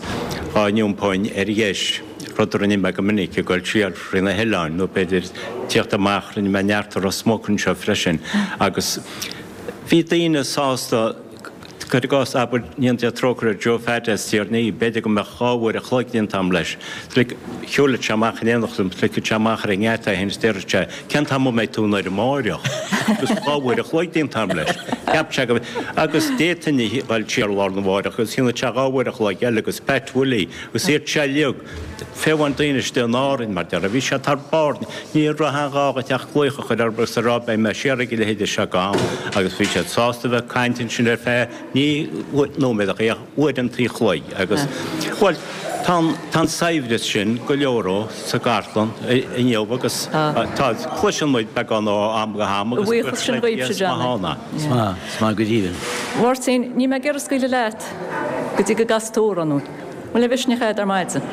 dhá n-iompóinn ar dheis. rud a rinne mé go minic, ag dul siar thrí na hoileáin, nó b'fhéidir tíocht amach, rinne mé neart i Ros Muc anseo freisin, agus bhí daoine sásta, cuir i gcás, abair, go ndéana Dia trócaire ar Joe Pheaid as Tír an Fhia, b'fhéidir go mbeadh 2 uair a chloig déanta agam leis, like, shiúlfadh sé amach in éineacht liom, ligfeadh sé amach ar an ngeata é féin is déarfadh sé, cén t-am a mbeidh tú i nDoire amáireach? Agus 2 uair a chloig déanta agam leis. Cheap sé go, agus d'fhéadfainn a dhul siar lá arna mháireach agus dhéanfadh sé 2 uair a chloig eile agus Pat Willie, Agus iad seo uilig, fiú amháin daoine istigh in Árainn, mar déarfá, bhí siad thar barr, ní raibh aon ghá dhuit ach glaoch a chur orthu agus a rá beidh mé siar ag a leithéide seo d'am agus bhí siad sásta a bheith ag caint ansin ar feadh ní nóiméad ach uaireanta an chloig agus, bhuel, tá an, tá an saibhreas sin go leor ó sa gcartlann inniu agus tá, cloiseann muid beagán ó am go ham agus Buíochas sin dhaoibhse, Johnny. Is maith, is maith go deimhin. Mháirtín, níl mé ag iarraidh scaoileadh leat. Go dtí go gcasfaidh tú amhrán dúinn. Bhfuil aon mhisneach agat ar maidin?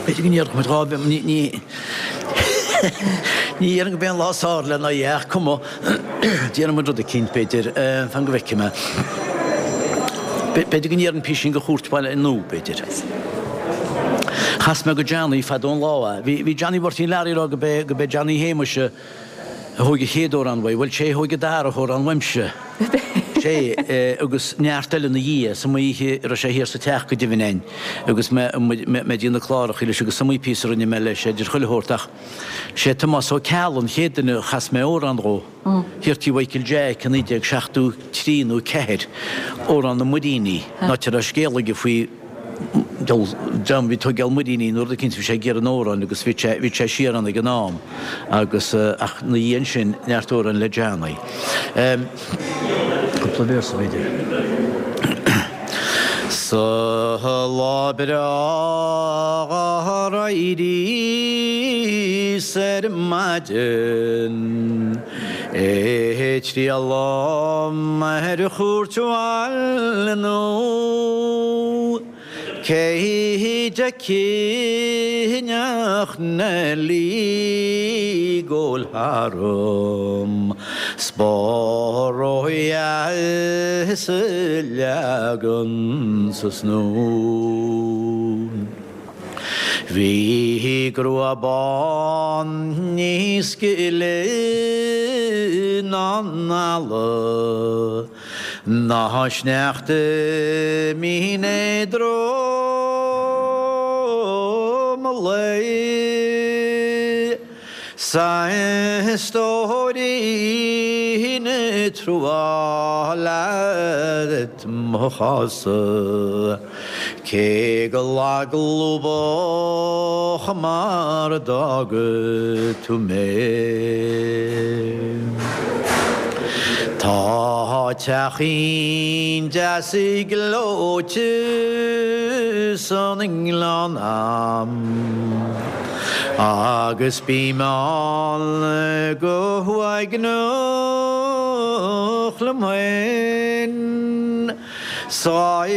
B'fhéidir go ndéarfadh muid 2 ní, ní, ní dhéarfainn gurb é an lá is fearr lena aghaidh ach cuma, déanfaidh muid rud eicínt b'fhéidir, fan go bhfeicfidh mé. B'fhéidir go ndéarfainn písín de Chúirt Bhaile an Iúir, b'fhéidir. Chas mé go Johnny fadó an lá é. Bhí, bhí Johnny Mháirtín Learaí ag rá go b'é, go b'é Johnny Shéamuis a, a thóig an chéad amhrán uaidh. Bhuel, sé a thóig an dara hamhrán uaimse. Sé, agus neart eile ina dhiaidh. Is iomaí oíche a raibh sé thiar sa teach go deimhin a'inn agus mé, mé ag déanamh clárachaí leis agus is iomaí píosa a rinne mé leis, idir chuile shórt ach sé Tomás Ó Ceallaigh an chéad duine a chas mé amhrán dhó. Thiar tí Mhichael Jack i 1973 nó 4, Amhrán na Muiríní, an áit a raibh scéal aige faoi. Dream bhí tógáil muiríní nó rud eicínt bhí sé ag iarraidh an amhráin agus bhí sé bhí sé siar ann ag an am agus ach na dhiaidh sin neart amhráin le Johnny. Cúpla véarsa b'fhéidir. Sa lá breá d'éiríos ar maidin ag triall dom ar chúirt bhaile nó cé d'fheicfinn ach Neilí ag gabháil tharam 's ba ródheas a leagan sa snó. Bhí grua bán níos gile ná an eala, ná sneachta mín éadrom lae. 'S a stóirín trua leat mo chás-sa. Cé go lag lúbach mar a d'fhága tú mé. Tá teachín deas gleoite san ngleann a'm agus bím ann go huaigneach liom féin. 'S dhá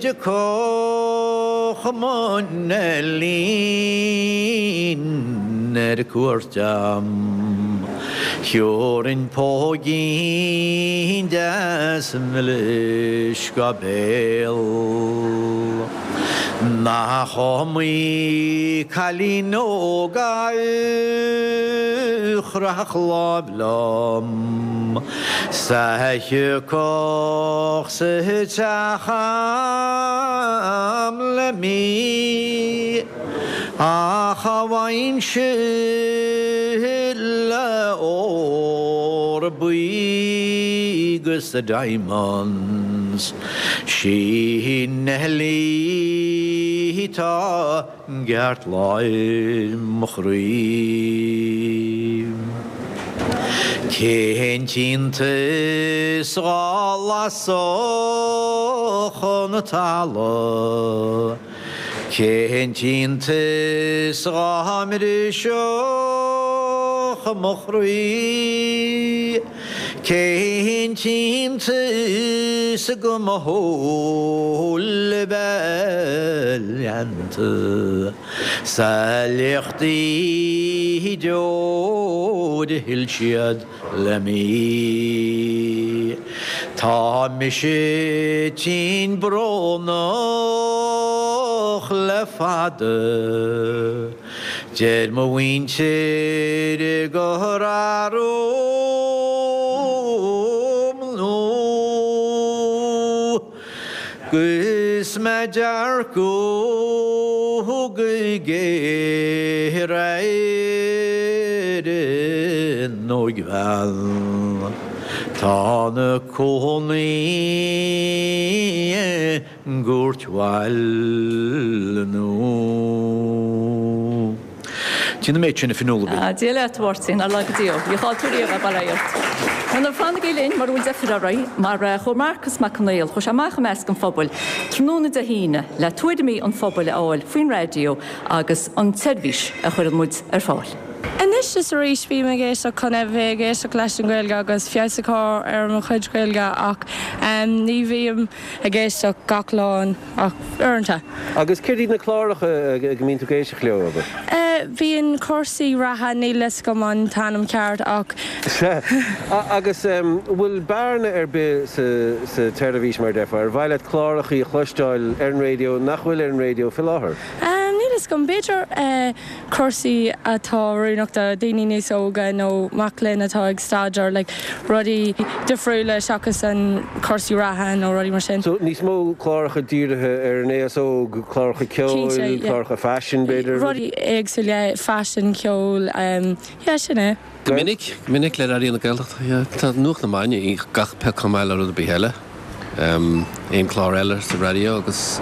dtiocfadh mo Neilín ar cuairt a'm, Thiúrfainn póigín deas milis dhá béal. Nach iomaí cailín óg a chroith láimh liom 's a thiocfadh sa teach a'm le mí ach cha bhfaighinnse le ór buí 'gus the diamonds. 'Sí Neilí atá i gceartlár mo chroí. Cén t-iontas dhá lasfadh an talamh, cén t-iontas dhá mbrisfeadh mo chroí, Cén t-iontas go mba shúile bheith leanta 's a liachtaí deor a shil siad le mí. Tá mise tinn brónach le fada. Deir mo mhuintir gur athrú nó 'gus mé ag dearcadh go géar ar an óigbhean 'tá 'na cónaí gCúirt Bhaile Nua. Tchíonn an méid sin, a Fionnuala. Dia leat, a Mháirtín, nár laga Dia thú. Ní chaill tú riamh é, bail ó Dhia ort. Bhuel, fanaigí linn mura bhfuil deifir oraibh, mar chuaigh Marcas Mac Conghail, chuaigh sé amach i measc an phobail tráthnóna Dé hAoine le tuairimí an phobail a fháil faoin raidió agus an tseirbhís a chuireann muid ar fáil. Anois is arís bím ag éisteacht chun a bheith ag éisteacht leis an Ghaeilge agus feabhas a chur ar mo chuid Gaeilge ach ní bhím ag éisteacht gach lá ach uaireanta. Agus céard iad na cláracha a mbíonn tú ag éisteacht leo, abair? Bíonn cúrsaí reatha, níl fhios agam an t-ainm ceart ach. Sea. Agus an bhfuil bearna ar bith sa tseirbhís, mar a déarfá? Ar mhaith leat clárachaí a chloisteáil ar an raidió nach bhfuil ar an raidió faoi láthair? Níl fhios agam. B'fhéidir cúrsaí atá oiriúnach do daoine níos óga nó mac léinn atá ag staidéar, like rudaí difriúla seachas an cúrsaí reatha nó rudaí mar sin. So níos mó cláracha dírithe ar an aos óg, cláracha ceoil, Cinnte, yeah. cláracha faisin b'fhéidir? Rudaí éagsúla, yeah, faisin, ceol, yeah, sin é. Go minic, go minic le Raidió na Gaeltachta, yeah. Tá Nuacht na Maidine gach pioc chomh maith le rud ar bith eile. Aon chlár eile sa raidió agus.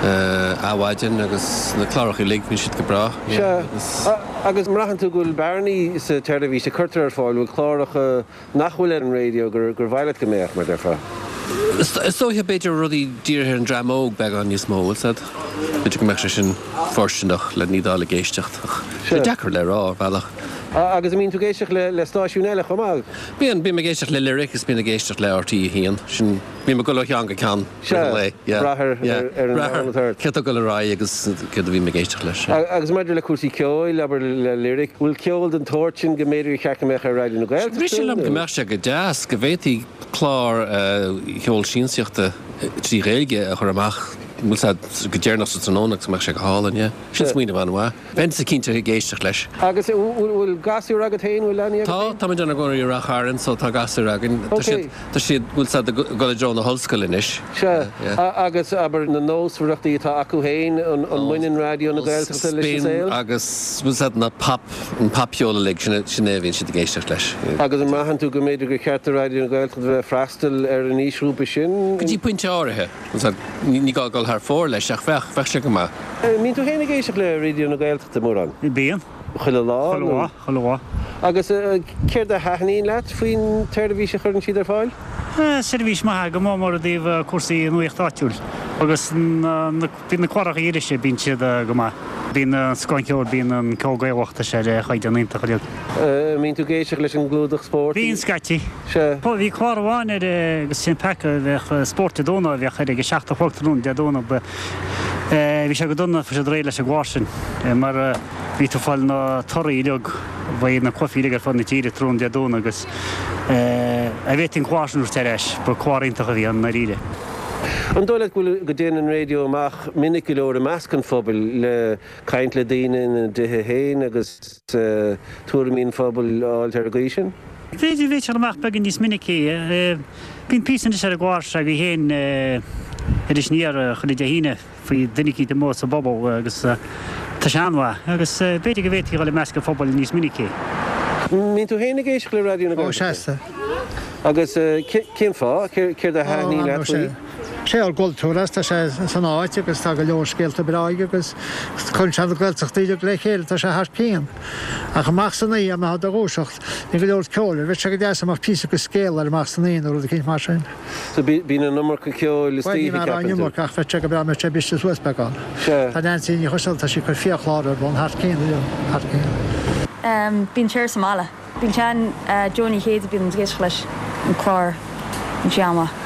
Adhmhaidin agus na cláracha uilig, bíonn siad go breá. Sea. Agus an mbraitheann tú go bhfuil bearnaí sa tseirbhís a cuirtear ar fáil, bhfuil cláracha nach bhfuil ar an raidió gur mhaith leat go mbeadh, mar déarfá? Is dóiche, b'fhéidir rudaí dírithe ar an dream óg beagán níos mó, bhfuil 's a'd. B'fhéidir go mbeadh sé sin fóirsteanach le iad a fháil ag éisteacht ach sé deacair le rá, ar bhealach. Agus an mbíonn tú ag éisteacht le stáisiúin eile chomh maith? Bíonn, bím ag éisteacht le Lyric is bíonn ag éisteacht le RTÉ 1, sin, bím ag dul ó cheann go ceann i rith an lae. Sea, brath ar an am atá ort. Céard atá ag dul ar aghaidh agus céard a bhím ag éisteacht leis. Agus maidir le cúrsaí ceoil, abair le Lyric, bhfuil ceol den tsórt sin go mb'fhéidir gur cheart go mbeadh ar Raidió na Gaeltachta? Rith sé liom go mbeadh sé go deas, go bhféadfaí clár cheol siansaíochta trí Ghaeilge a chur amach, bhfuil 's a'd, go deireanach sa tráthnóna agus go mbeadh sé go hálainn, yeah. Sin smaoineamh an-mhaith. Bheinnse cinnte ag éisteacht leis. Agus an bhfuil gasúir agat féin, bhfuil leanaí agat Tá, féin? táimid inár gcónaí i Ráth Chairn so tá gasúir againn. Tá siad, tá siad, bhfuil 's a'd, ag dul i dtreo na hollscoile anois. Sea. Agus abair na nósmhaireachtaí atá acu féin, an mbaineann Raidió na Gaeltachta leis an saol? Bíonn agus, bhfuil 's a'd, na pop, an popcheol uilig, sin é, sin é a bhíonn siad ag éisteacht leis. Agus an mbraitheann tú go mb'fhéidir gur cheart do Raidió na Gaeltachta bheith ag freastal ar an aoisghrúpa sin? Go dtí pointe áirithe. Ní gá dul thar fóir leis ach bheadh, bheadh sé go maith. An mbíonn tú féin ag éisteacht le Raidió na Gaeltachta mórán? Bíonn. Chuile lá? Chuile lá, chuile lá. Agus céard a thaitníonn leat faoin tseirbhís a chuireann siad ar fáil? Seirbhís maith, go mór mór i dtaobh cúrsaí nuaíocht áitiúil agus na, bíonn na cláracha irise, bíonn siad go maith. Bíonn an scoth an cheoil, bíonn an ceol Gaelach, tá sé ar chaighdeán iontach uilig. An mbíonn tú ag éisteacht leis an gclúdach spóirt? Bíonn, scaití. Sea. Bhí clár amháin ar agus sin peaca a bheadh Spórt Dé Domhnaigh a bheadh air ag a 7 a chlog tráthnóna Dé Domhnaigh. Bhí sé go dona, fuair siad réidh leis an gclár sin mar bhí tú ag fáil na torthaí uilig, bhí na cluichí uilig ar fud na tíre tráthnóna Dé Domhnaigh agus a bhféadfaí an clár sin a thabhairt ar ais, ba clár iontach a bhí ann i ndáiríre. An dóigh leat go bhfuil, go dtéann an raidió amach minic go leor i measc an phobail le caint le daoine ina dtithe féin agus tuairimí an phobail a fháilt ar an gcaoi sin? B'fhéidir, bheadh sé amach beagán níos minicí. Bíonn píosa anois ar an gclár s'agaibh féin Iris Aniar chuile Dé hAoine faoi duine eicínt amuigh sa bpobal agus tá sé an-mhaith agus b'fhéidir go bhféadfaí dhul i measc an phobail níos minicí. Mbíonn tú féin ag éisteacht le Raidió na Ó, Gaeltachta? seasta. Agus cén fáth? Céard a Ó, thaitníonn leat faoi? Sé ár gcultúr as, tá sé san áit agus tá go leor scéalta breá aige agus cuireann sé na Gaeltachtaí uilig le chéile, tá sé thar cionn. Ach amach san oíche, má tá do dhúiseacht, níl go leor ceoil air, bheadh sé go deas dá mbeadh píosa de scéal air amach san oíche nó rud eicínt mar sin. So bíonn an iomarca ceoil Bhuel, istoíche, ní mar an ceapann tú? iomarca ach bheadh sé go breá mbeadh sé briste suas beagán. Sea. Tá Neansaí Ní Choistealbha, tá sí ag cur fíorchlár ar bun thar cionn, thar cionn. Bíonn sé ar sa mbaile. Bíonn sean Joe Ní Chéide bíonn ag éisteacht leis an clár bíonn sé an-mhaith.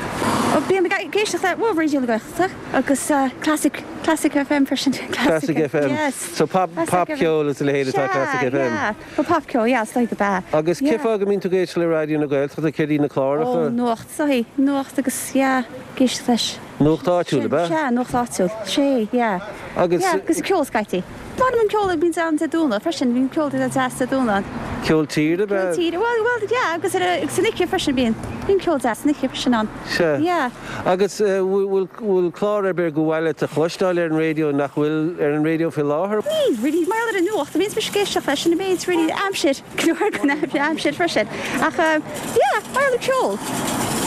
Bím ag éisteacht le bhuel Raidió na Gaeltachta agus Classic Classic FM freisin. Classic FM. Yes. So pop Classic FM. popcheol is a leithéid atá Sea, Classic FM. yeah. Well popcheol, yeah, is dóigh gurb ea. Agus cé Yeah. fáth go mbíonn tú ag éisteacht le Raidió na Gaeltachta? Céard iad na Ó, cláracha? nuacht, is dóigh. Nuacht agus yeah, ag éisteacht leis. Nuacht áitiúil, ab ea? Sea, nuacht áitiúil. Sea, yeah. Agus. Yeah, agus ceol scaití. Maith liom an ceol a bhíonns ann Dé Domhnaigh freisin, bíonn ceol deas Dé Domhnaigh ann. Ceol tíre, ab ea? Ceol tíre, bhuel, bhuel, yeah, agus ar a, agus san oíche freisin bíonn, bíonn ceol deas san oíche freisin ann. Sea. Yeah. Agus bhfuil, bhfuil clár ar bith gur mhaith leat a chloisteáil ar an raidió nach bhfuil ar an raidió faoi láthair? Níl, really, mar gheall ar an nuacht, bíonns mise ag éisteacht leis an méid, really, aimsir, go leor den aimsir freisin. Ach, yeah, mar gheall ar ceol,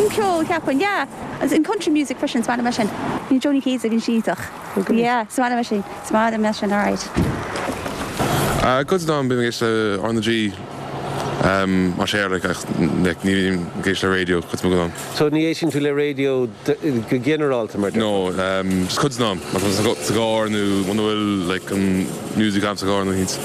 an ceol, ceapaim, yeah. Agus an country music freisin, is maith liom é sin. Bíonn Joni Céide, bíonn sí iontach. Yeah, is maith liom é sin. Is maith liom é sin, alright. Cuid den am bím ag éisteacht le R na G mar sé like ach like ní bhím ag éisteacht le raidió cuid den am. So ní éisteann tú le raidió go ginearálta mar No, just cuid den am má tá mé sa gcarr nó muna bhfuil like an music agam sa gcarr nó éicint.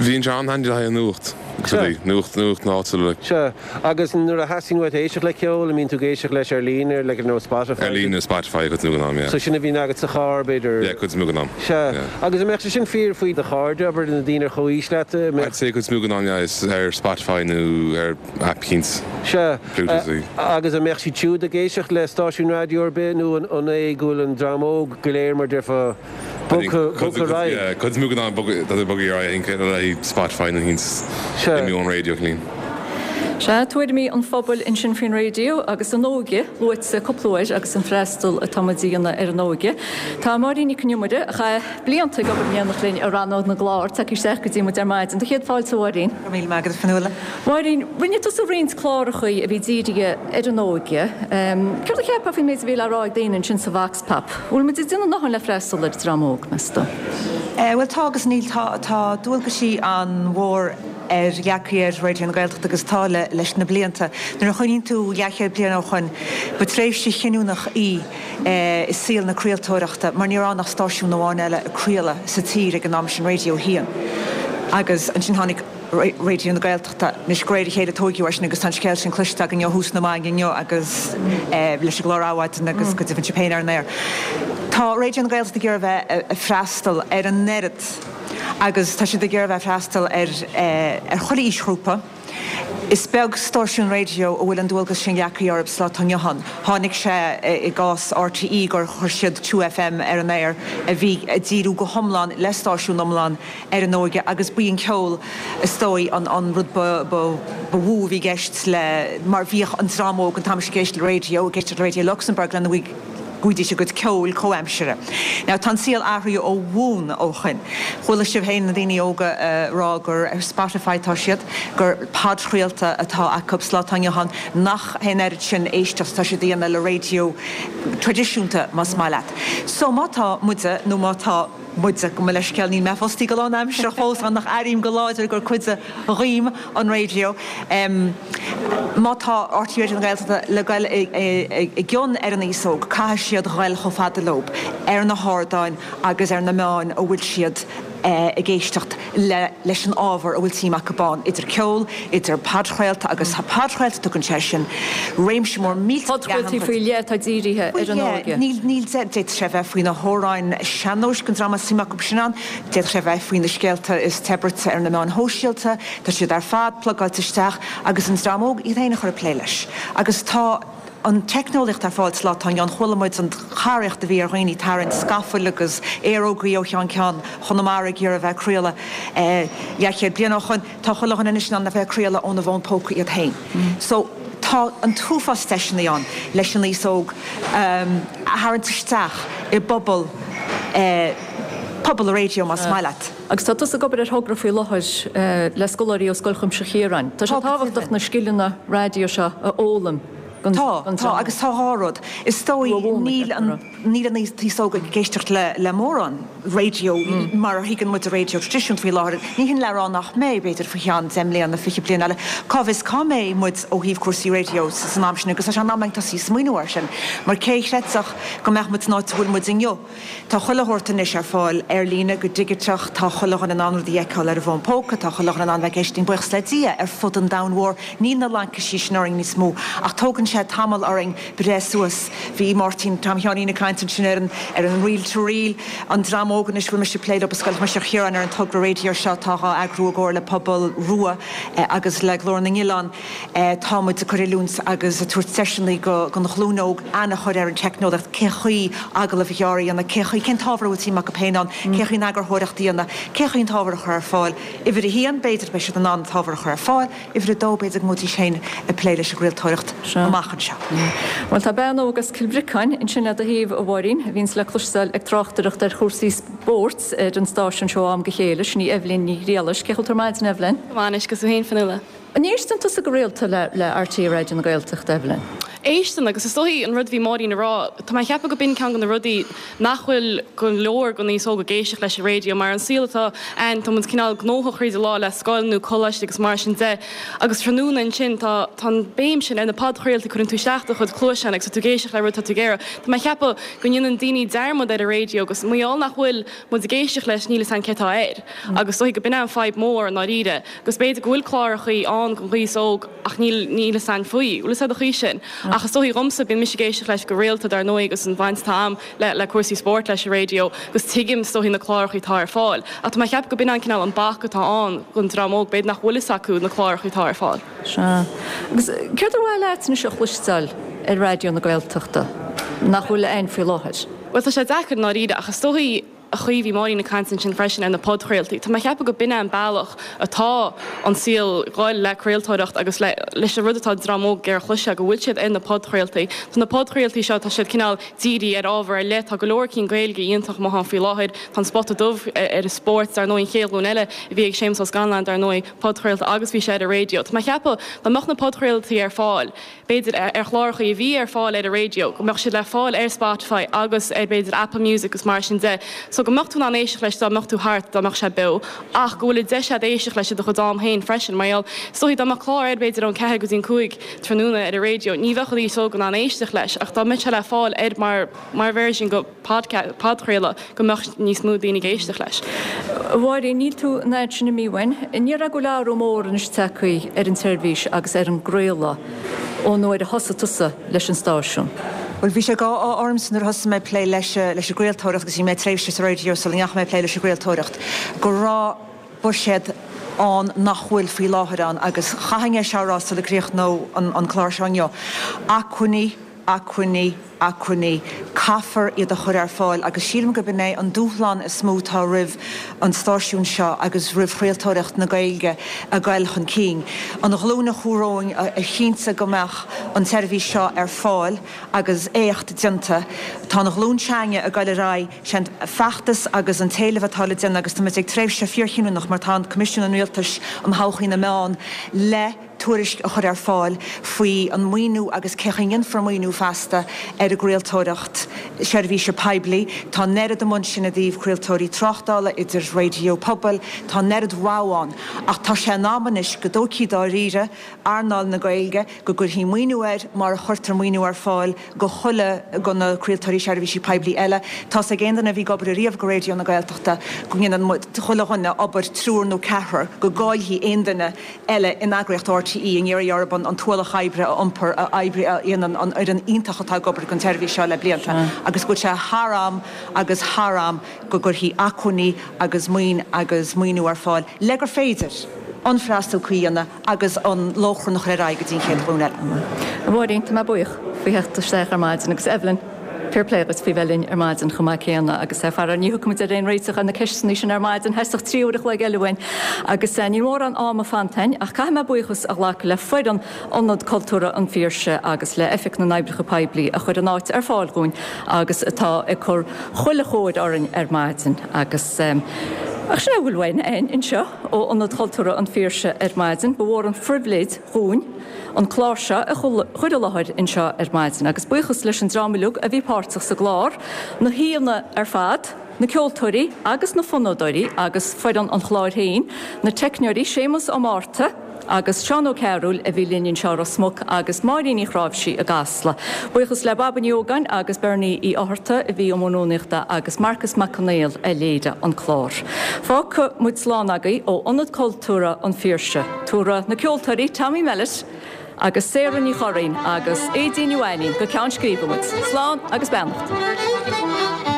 Bíonn sé an-handy le haghaidh an nuacht agus rudaí, nuacht nuacht na háite like. Sea, agus nuair a theastaíonn uait éisteacht le ceol, an mbíonn tú ag éisteacht leis ar líne, ar like ar nós Spotify? Ar líne, Spotify, cuid den am, yeah. So sin a bhíonn agat sa charr, b'fhéidir? Yeah, cuid den am. Sea. Yeah. Agus an mbeadh sé sin fíor faoi do chairde, abair, na daoine ar chomhaois leat, an mbeadh. I'd say cuid den am, yeah, is ar Spotify nó ar aip eicínt. Sea. Bluetooth. Agus an mbeadh siad siúd ag éisteacht le stáisiún raidió ar bith nó an é go bhfuil an dream óg go léir, mar déarfá, Bogtha ar aghaidh. Cuid den am bogtha ar aghaidh, I think, le Spotify nó éicint imithe ón raidió clean. Sea, tuairimí an phobail ansin faoin raidió agus an óige luaite cúpla uair agus an freastal atá muid a dhéanamh ar an óige. Tá Máirín Nic Con Iomaire, a chaith blianta ag obair in éineacht linn i rannóg na gclár, tagtha isteach go dtí muid ar maidin. Do chéad fáilte, a Mháirín. Go raibh míle maith agat, a Fionnuala. Máirín, rinne tusa roinnt clárachaí a bhí dírithe ar an óige. Céard a cheapfá faoin méid a bhí le rá ag daoine ansin sa Vox Pop? Bhfuil muid ag déanamh a ndóthain le freastal ar an dream óg, meas tú? Bhuel, tá agus níl. Tá, tá dualgaisí an-mhór ar leagtha ar Raidió na Gaeltachta agus tá le leis na blianta. Nuair a chuimhníonn tú leathchéad bliain ó shoin, ba tréimhse chinniúnach í i saol na craoltóireachta mar ní raibh ann ach stáisiún amháin eile ag craoladh sa tír ag an am sin, Raidió 1. Agus ansin tháinig Raidió na Gaeltachta. Anois, de réir a chéile tóigeadh é sin agus tá an scéal sin cloiste againn ó thús na maidne inniu agus leis an gclár Adhmhaidin agus go deimhin sibh féin ar an aer. Tá Raidió na Gaeltachta ag iarraidh a bheith ag freastal ar an oiread agus tá siad ag iarraidh a bheith ag freastal ar ar chuile aoisghrúpa. Is beag stáisiún raidió a bhfuil an dualgas sin leagtha orthu sa lá atá inniu ann. Tháinig sé i gcás RTÉ gur chuir siad 2FM ar an aer a bhí ag díriú go hiomlán le stáisiún iomlán ar an óige agus b'í an ceol is dóigh an rud ba mhó a bhí i gceist le mar bhíodh an dream óg an t-am sin ag éisteacht le raidió, ag éisteacht le Raidió Luxembourg lena bhfaighidís a gcuid ceoil comhaimseartha. Now tá an saol athraithe ó bhonn ó shoin. Chuala sibh féin na daoine óga ag rá gur ar Spotify atá siad, gur podchraolta atá acu sa lá atá inniu ann, nach hé an oiread sin éisteacht atá siad a dhéanamh le raidió traidisiúnta más maith leat. So má tá muide nó má tá. muide, gabh mo leithscéal, níl mé fostaí go lánaimseartha fós ach airím go láidir gur cuid dhíom an raidió. Má tá RTÉ Raidió na Gaeltachta le goil i gcion ar an aos óg, caithfidh siad ghoil chomh fada leo ar na hardáin agus ar na meáin a bhfuil siad ag éisteacht leis an ábhar a bhfuil suim acu ann, idir ceol, idir podchraolta agus podchraolta, tugann sé sin réimse mór millteach leathan. Podchraoltaí faoi leith atá dírithe ar an óige. Níl, níl, d'fhéadfadh sé a bheith faoi na hamhráin sean-nóis don dream a suim acu sin ann, d'fhéadfadh sé a bheith faoi na scéalta is te bruite ar na meáin shóisialta, tá siad ar fad plugáilte isteach agus an dream óg iad féin a chur ag plé leis. Agus tá. an teicneolaíocht ar fáil sa lá atá inniu ann. Chuala muid an charraíocht a bhí ar dhaoine tarraingt scafaill agus aerógaí ó cheann ceann Chonamara ag iarraidh a bheith ag craoladh leathchéad bliain ó shoin. Tá chuile dhuine anois in ann a bheith ag craoladh óna bhfón póca iad féin. So tá an t-uafás deiseanna ann leis an aos óg a tharraingt isteach i bpobal, pobal an raidió más maith leat. Agus tá tusa ag obair ar thogra faoi láthair le scoláirí ó Scoil Chuimsitheach Chiaráin. Tá sé tábhachtach na scileanna raidió seo a fhoghlaim don Tá, tá, agus tá dhá rud. Is dóigh níl an, níl an t-aos óg ag éisteacht le, le mórán raidió mar a thuigeann muid an raidió traidisiúnta faoi láthair. Ní hin le rá nach mbeidh, b'fhéidir faoi cheann deich mbliana, 20 bliain eile. Cá bhfios cá mbeidh muid ó thaobh cúrsaí raidió san am sin agus tá sé in am againn tosaí ag smaoineamh air sin mar cé a chreidfeadh go mbeadh muid san áit a bhfuil muid inniu? Tá chuile shórt anois ar fáil ar líne go digiteach, tá chuile dhuine in ann rudaí a fheiceáil ar a bhfón póca, tá chuile dhuine in ann bheith ag éisteacht buíochas le Dia ar fud an domhain mhóir, níl na laincisí sin orainn níos mó ach tógann sé tamall orainn breith suas. Bhí Máirtín Tom Sheáinín ag caint ansin ar an ar an reel to reel, an dream óg anois a bhfuil mise ag plé leo i Scoil Chuimsitheach Chiaráin ar an togra raidió seo atá dhá eagrú i gcomhar le Pobal Rua agus le Glór na nOileán. Tá muid ag cur oiliúint agus ag tabhairt deiseanna don ghlúin óg aithne a chur ar an teicneolaíocht, cé chaoi agallamh ghearr a dhéanamh, cé chaoi, cén t-ábhar a bhfuil suim acu féin ann, cé chaoi an eagarthóireacht a dhéanamh, cé chaoi an t-ábhar a chur ar fáil. Uimhir a haon, b'fhéidir, beidh siad in ann an t-ábhar a chur ar fáil. Uimhir a dó, b'fhéidir go mbeidís féin ag plé leis an gcraoltóireacht amach anseo. Bhuel, tá bean óg as Cill Bhriocáin ansin le do thaobh, a Mháirín, a bhíonns le cloisteáil ag tráchtaireacht ar chúrsaí spóirt ar an stáisiún seo ó am go chéile, sin í Eibhlín Ní Ghriallais. Cén chaoi a bhfuil tú ar maidin, Eibhlín? Go maith anois, agus tú féin, Fionnuala? An éisteann tusa go rialta le RTÉ Raidió na Gaeltachta, Eibhlín? Éisteann, agus is dóichí an rud a bhí Máirín a rá, tá mé ag ceapadh go b'in ceann de na rudaí nach bhfuil go leor den aos óg ag éisteacht leis an raidió, mar an saol atá ann, tá muid cineál gnóthach thríd an lá le scoil nó coláiste agus mar sin de, agus tráthnóna ansin tá tá an béim sin ar na podchraoltaí, cuireann tú isteach do chuid cluaiseán agus tá tú ag éisteacht le rud atá tú ag iarraidh. Tá mé ag ceapadh go ndéanann daoine dearmad ar an raidió agus mar gheall nach bhfuil muid ag éisteacht leis níl fhios a'inn cé atá air agus is dóichí go b'in é an fadhb mór i ndáiríre. Agus b'fhéidir go bhfuil clárachaí ann don aos óg ach níl níl fhios a'inn faoi. Bhfuil fhios a'd an chaoi sin. Ach is dóichí dhomsa, bíonn mise ag éisteacht leis go rialta dar ndóigh agus an bhaint atá a'm le le cúrsaí spóirt leis an raidió agus tuigim is dóichí na clárachaí atá ar fáil. Ach tá mé ag ceapadh go b'in an cineál an bac atá ann don dream óg, b'fhéidir nach bhfuil fhios acu na clárachaí atá ar fáil. Sea. Agus céard ar mhaith leat anois a chloisteáil ar Raidió na Gaeltachta nach bhfuil ann faoi láthair? Bhuel tá sé deacair i ndáiríre ach is dóichí. chaoi a bhí Máirín ag caint ansin freisin ar na podchraoltaí, tá mé ag ceapadh go b'in é an bealach atá an saol ag goil le craoltóireacht agus le leis an rud atá an dream óg ag iarraidh a chloisteáil, go bhfuil siad ar na podchraoltaí. Tá na podchraoltaí seo, tá siad cineál dírithe ar ábhar ar leith, tá go leor cinn Gaeilge iontach amuigh ann faoi láthair, tá an Spota Dubh ar an spórt, dar ndóigh, an Chéad Ghlúin Eile a bhí ag Séamus Ó Scanláin, dar ndóigh, podchraolta agus bhí sé ar an raidió. Tá mé ag ceapadh dá mbeadh na podchraoltaí ar fáil, b'fhéidir, ar chláracha a bhí ar fáil ar an raidió, go mbeadh siad le fáil ar Spotify agus ar, b'fhéidir, Apple Music agus mar sin de, so go mbeadh tú in ann éisteacht leis dá mbeadh tú thart, dá mbeadh sé beo, ach go bhfuil an deis agat éisteacht leis i do chuid am féin freisin, mar gheall, is dóichí, dá mbeadh clár ar, b'fhéidir, ón ceathair go dtí an cúig tráthnóna ar an raidió, ní bheadh an aos óg in ann éisteacht leis, ach dá mbeadh sé le fáil ar mar, mar version go. podchraoladh go mbeadh níos mó daoine ag éisteacht leis. A Mháirín, níl tú an fhad sin imithe uainn. An ndéarfá go bhfuil athrú mór anois tagtha ar an tseirbhís agus ar an gcraoladh ón uair a thosaigh tusa leis an stáisiún? Bhuel, bhí sé d'ádh ormsa nuair a thosaigh mé ag plé leis an gcraoltóireacht agus bhí mé tréimhse sa raidió sula ndeachaigh mé ag plé leis an gcraoltóireacht, go raibh buiséad ann nach bhfuil faoi láthair ann agus chaithfinn é seo a rá sula gcríochnódh an clár seo inniu, acmhainní, acmhainní, acmhainní, caithfear iad a chur ar fáil agus sílim gurb in é an dúshlán is mó atá roimh an stáisiún seo agus roimh chraoltóireacht na Gaeilge a ghoil chun cinn. An ghlúin a chuaigh romhainn a chinntigh go mbeadh an tseirbhís seo ar fáil agus éacht déanta. Tá an ghlúin s'againne ag goil ar aghaidh, sé an feachtas agus an t-éileamh atá le déanamh agus táimid ag tréimhse fíorchinniúnach mar tá an Coimisiún an Rialtais um Thodhchaí na Meán le tuairisc a chur ar fáil faoi an maoiniú agus cé chaoi a ndéanfar maoiniú feasta ar an gcraoltóireacht seirbhíse poiblí. Tá an oiread amuigh ansin i dtaobh craoltóirí tráchtála, idir raidió pobail, tá an oiread rogha ann. Ach tá sé in am anois go dtógfaí dáiríre earnáil na Gaeilge, go gcuirfí maoiniú air mar a chuirtear maoiniú ar fáil go chuile, go na craoltóirí seirbhísí poiblí eile. Tá's ag aon duine a bhí ag obair ariamh go Raidió na Gaeltachta go ndéanann muid, chuile dhuine, obair triúr nó ceathrar, go gcaillfidh aon duine eile in eagraíocht RTÉ ag iarraidh orthu an t-ualach oibre a iompar a oibre a dhéanann an fhoireann iontach atá ag obair don tseirbhís seo le blianta agus go bhfuil sé thar am agus thar am go gcuirfí acmhainní agus maoin agus maoiniú ar fáil le gur féidir an freastal cuí a dhéanamh agus an lóchrann a chur ar aghaidh go dtí an chéad ghlúin eile. A Mháirín, tá mé buíoch faoi theacht isteach ar maidin agus Evelyn, fair play dhuit faoi bheith linn ar maidin chomh maith céanna agus faraor ní thiocfaidh muid ar aon réiteach ar na ceisteanna sin ar maidin, theastódh 3 uair a chloig eile uainn agus níl mórán ama fanta againn ach caithfidh mé buíochas a ghlacadh le foireann Ionad Cultúrtha an Phiarsaigh agus le Oifig na nOibreacha Poiblí a chuir an áit ar fáil dhúinn agus atá ag cur chuile chóir orainn ar maidin agus ach sin é a bhfuil uainn anseo ó Ionad Chultúrtha an Phiarsaigh ar maidin. Ba mhór an phribhléid dhúinn an clár seo a chur i láthair anseo ar maidin agus buíochas leis an dream uilig a bhí páirteach sa gclár, na haíonna ar fad, na ceoltóirí agus na fonnadóirí agus foireann an chláir féin, na teicneoirí Séamus Ó Márta agus Seán Ó Cearúil a bhí linn anseo i Ros Muc agus Máirín Ní Chráimhsí i gCasla. Buíochas le Baba Ní Ógáin agus Bernie Uí Fhátharta a bhí i mbun rúnaíochta agus Marcus Mac Conghail a léirigh an clár. Fágfaidh muid slán agaibh ó Ionad Cultúrtha an Phiarsaigh. Tabharfaidh na ceoltóirí Tommy Mellett agus Sarah Ní Churraoin agus Aedín Ní Mhainín go ceann scríbe muid. Slán agus beannacht.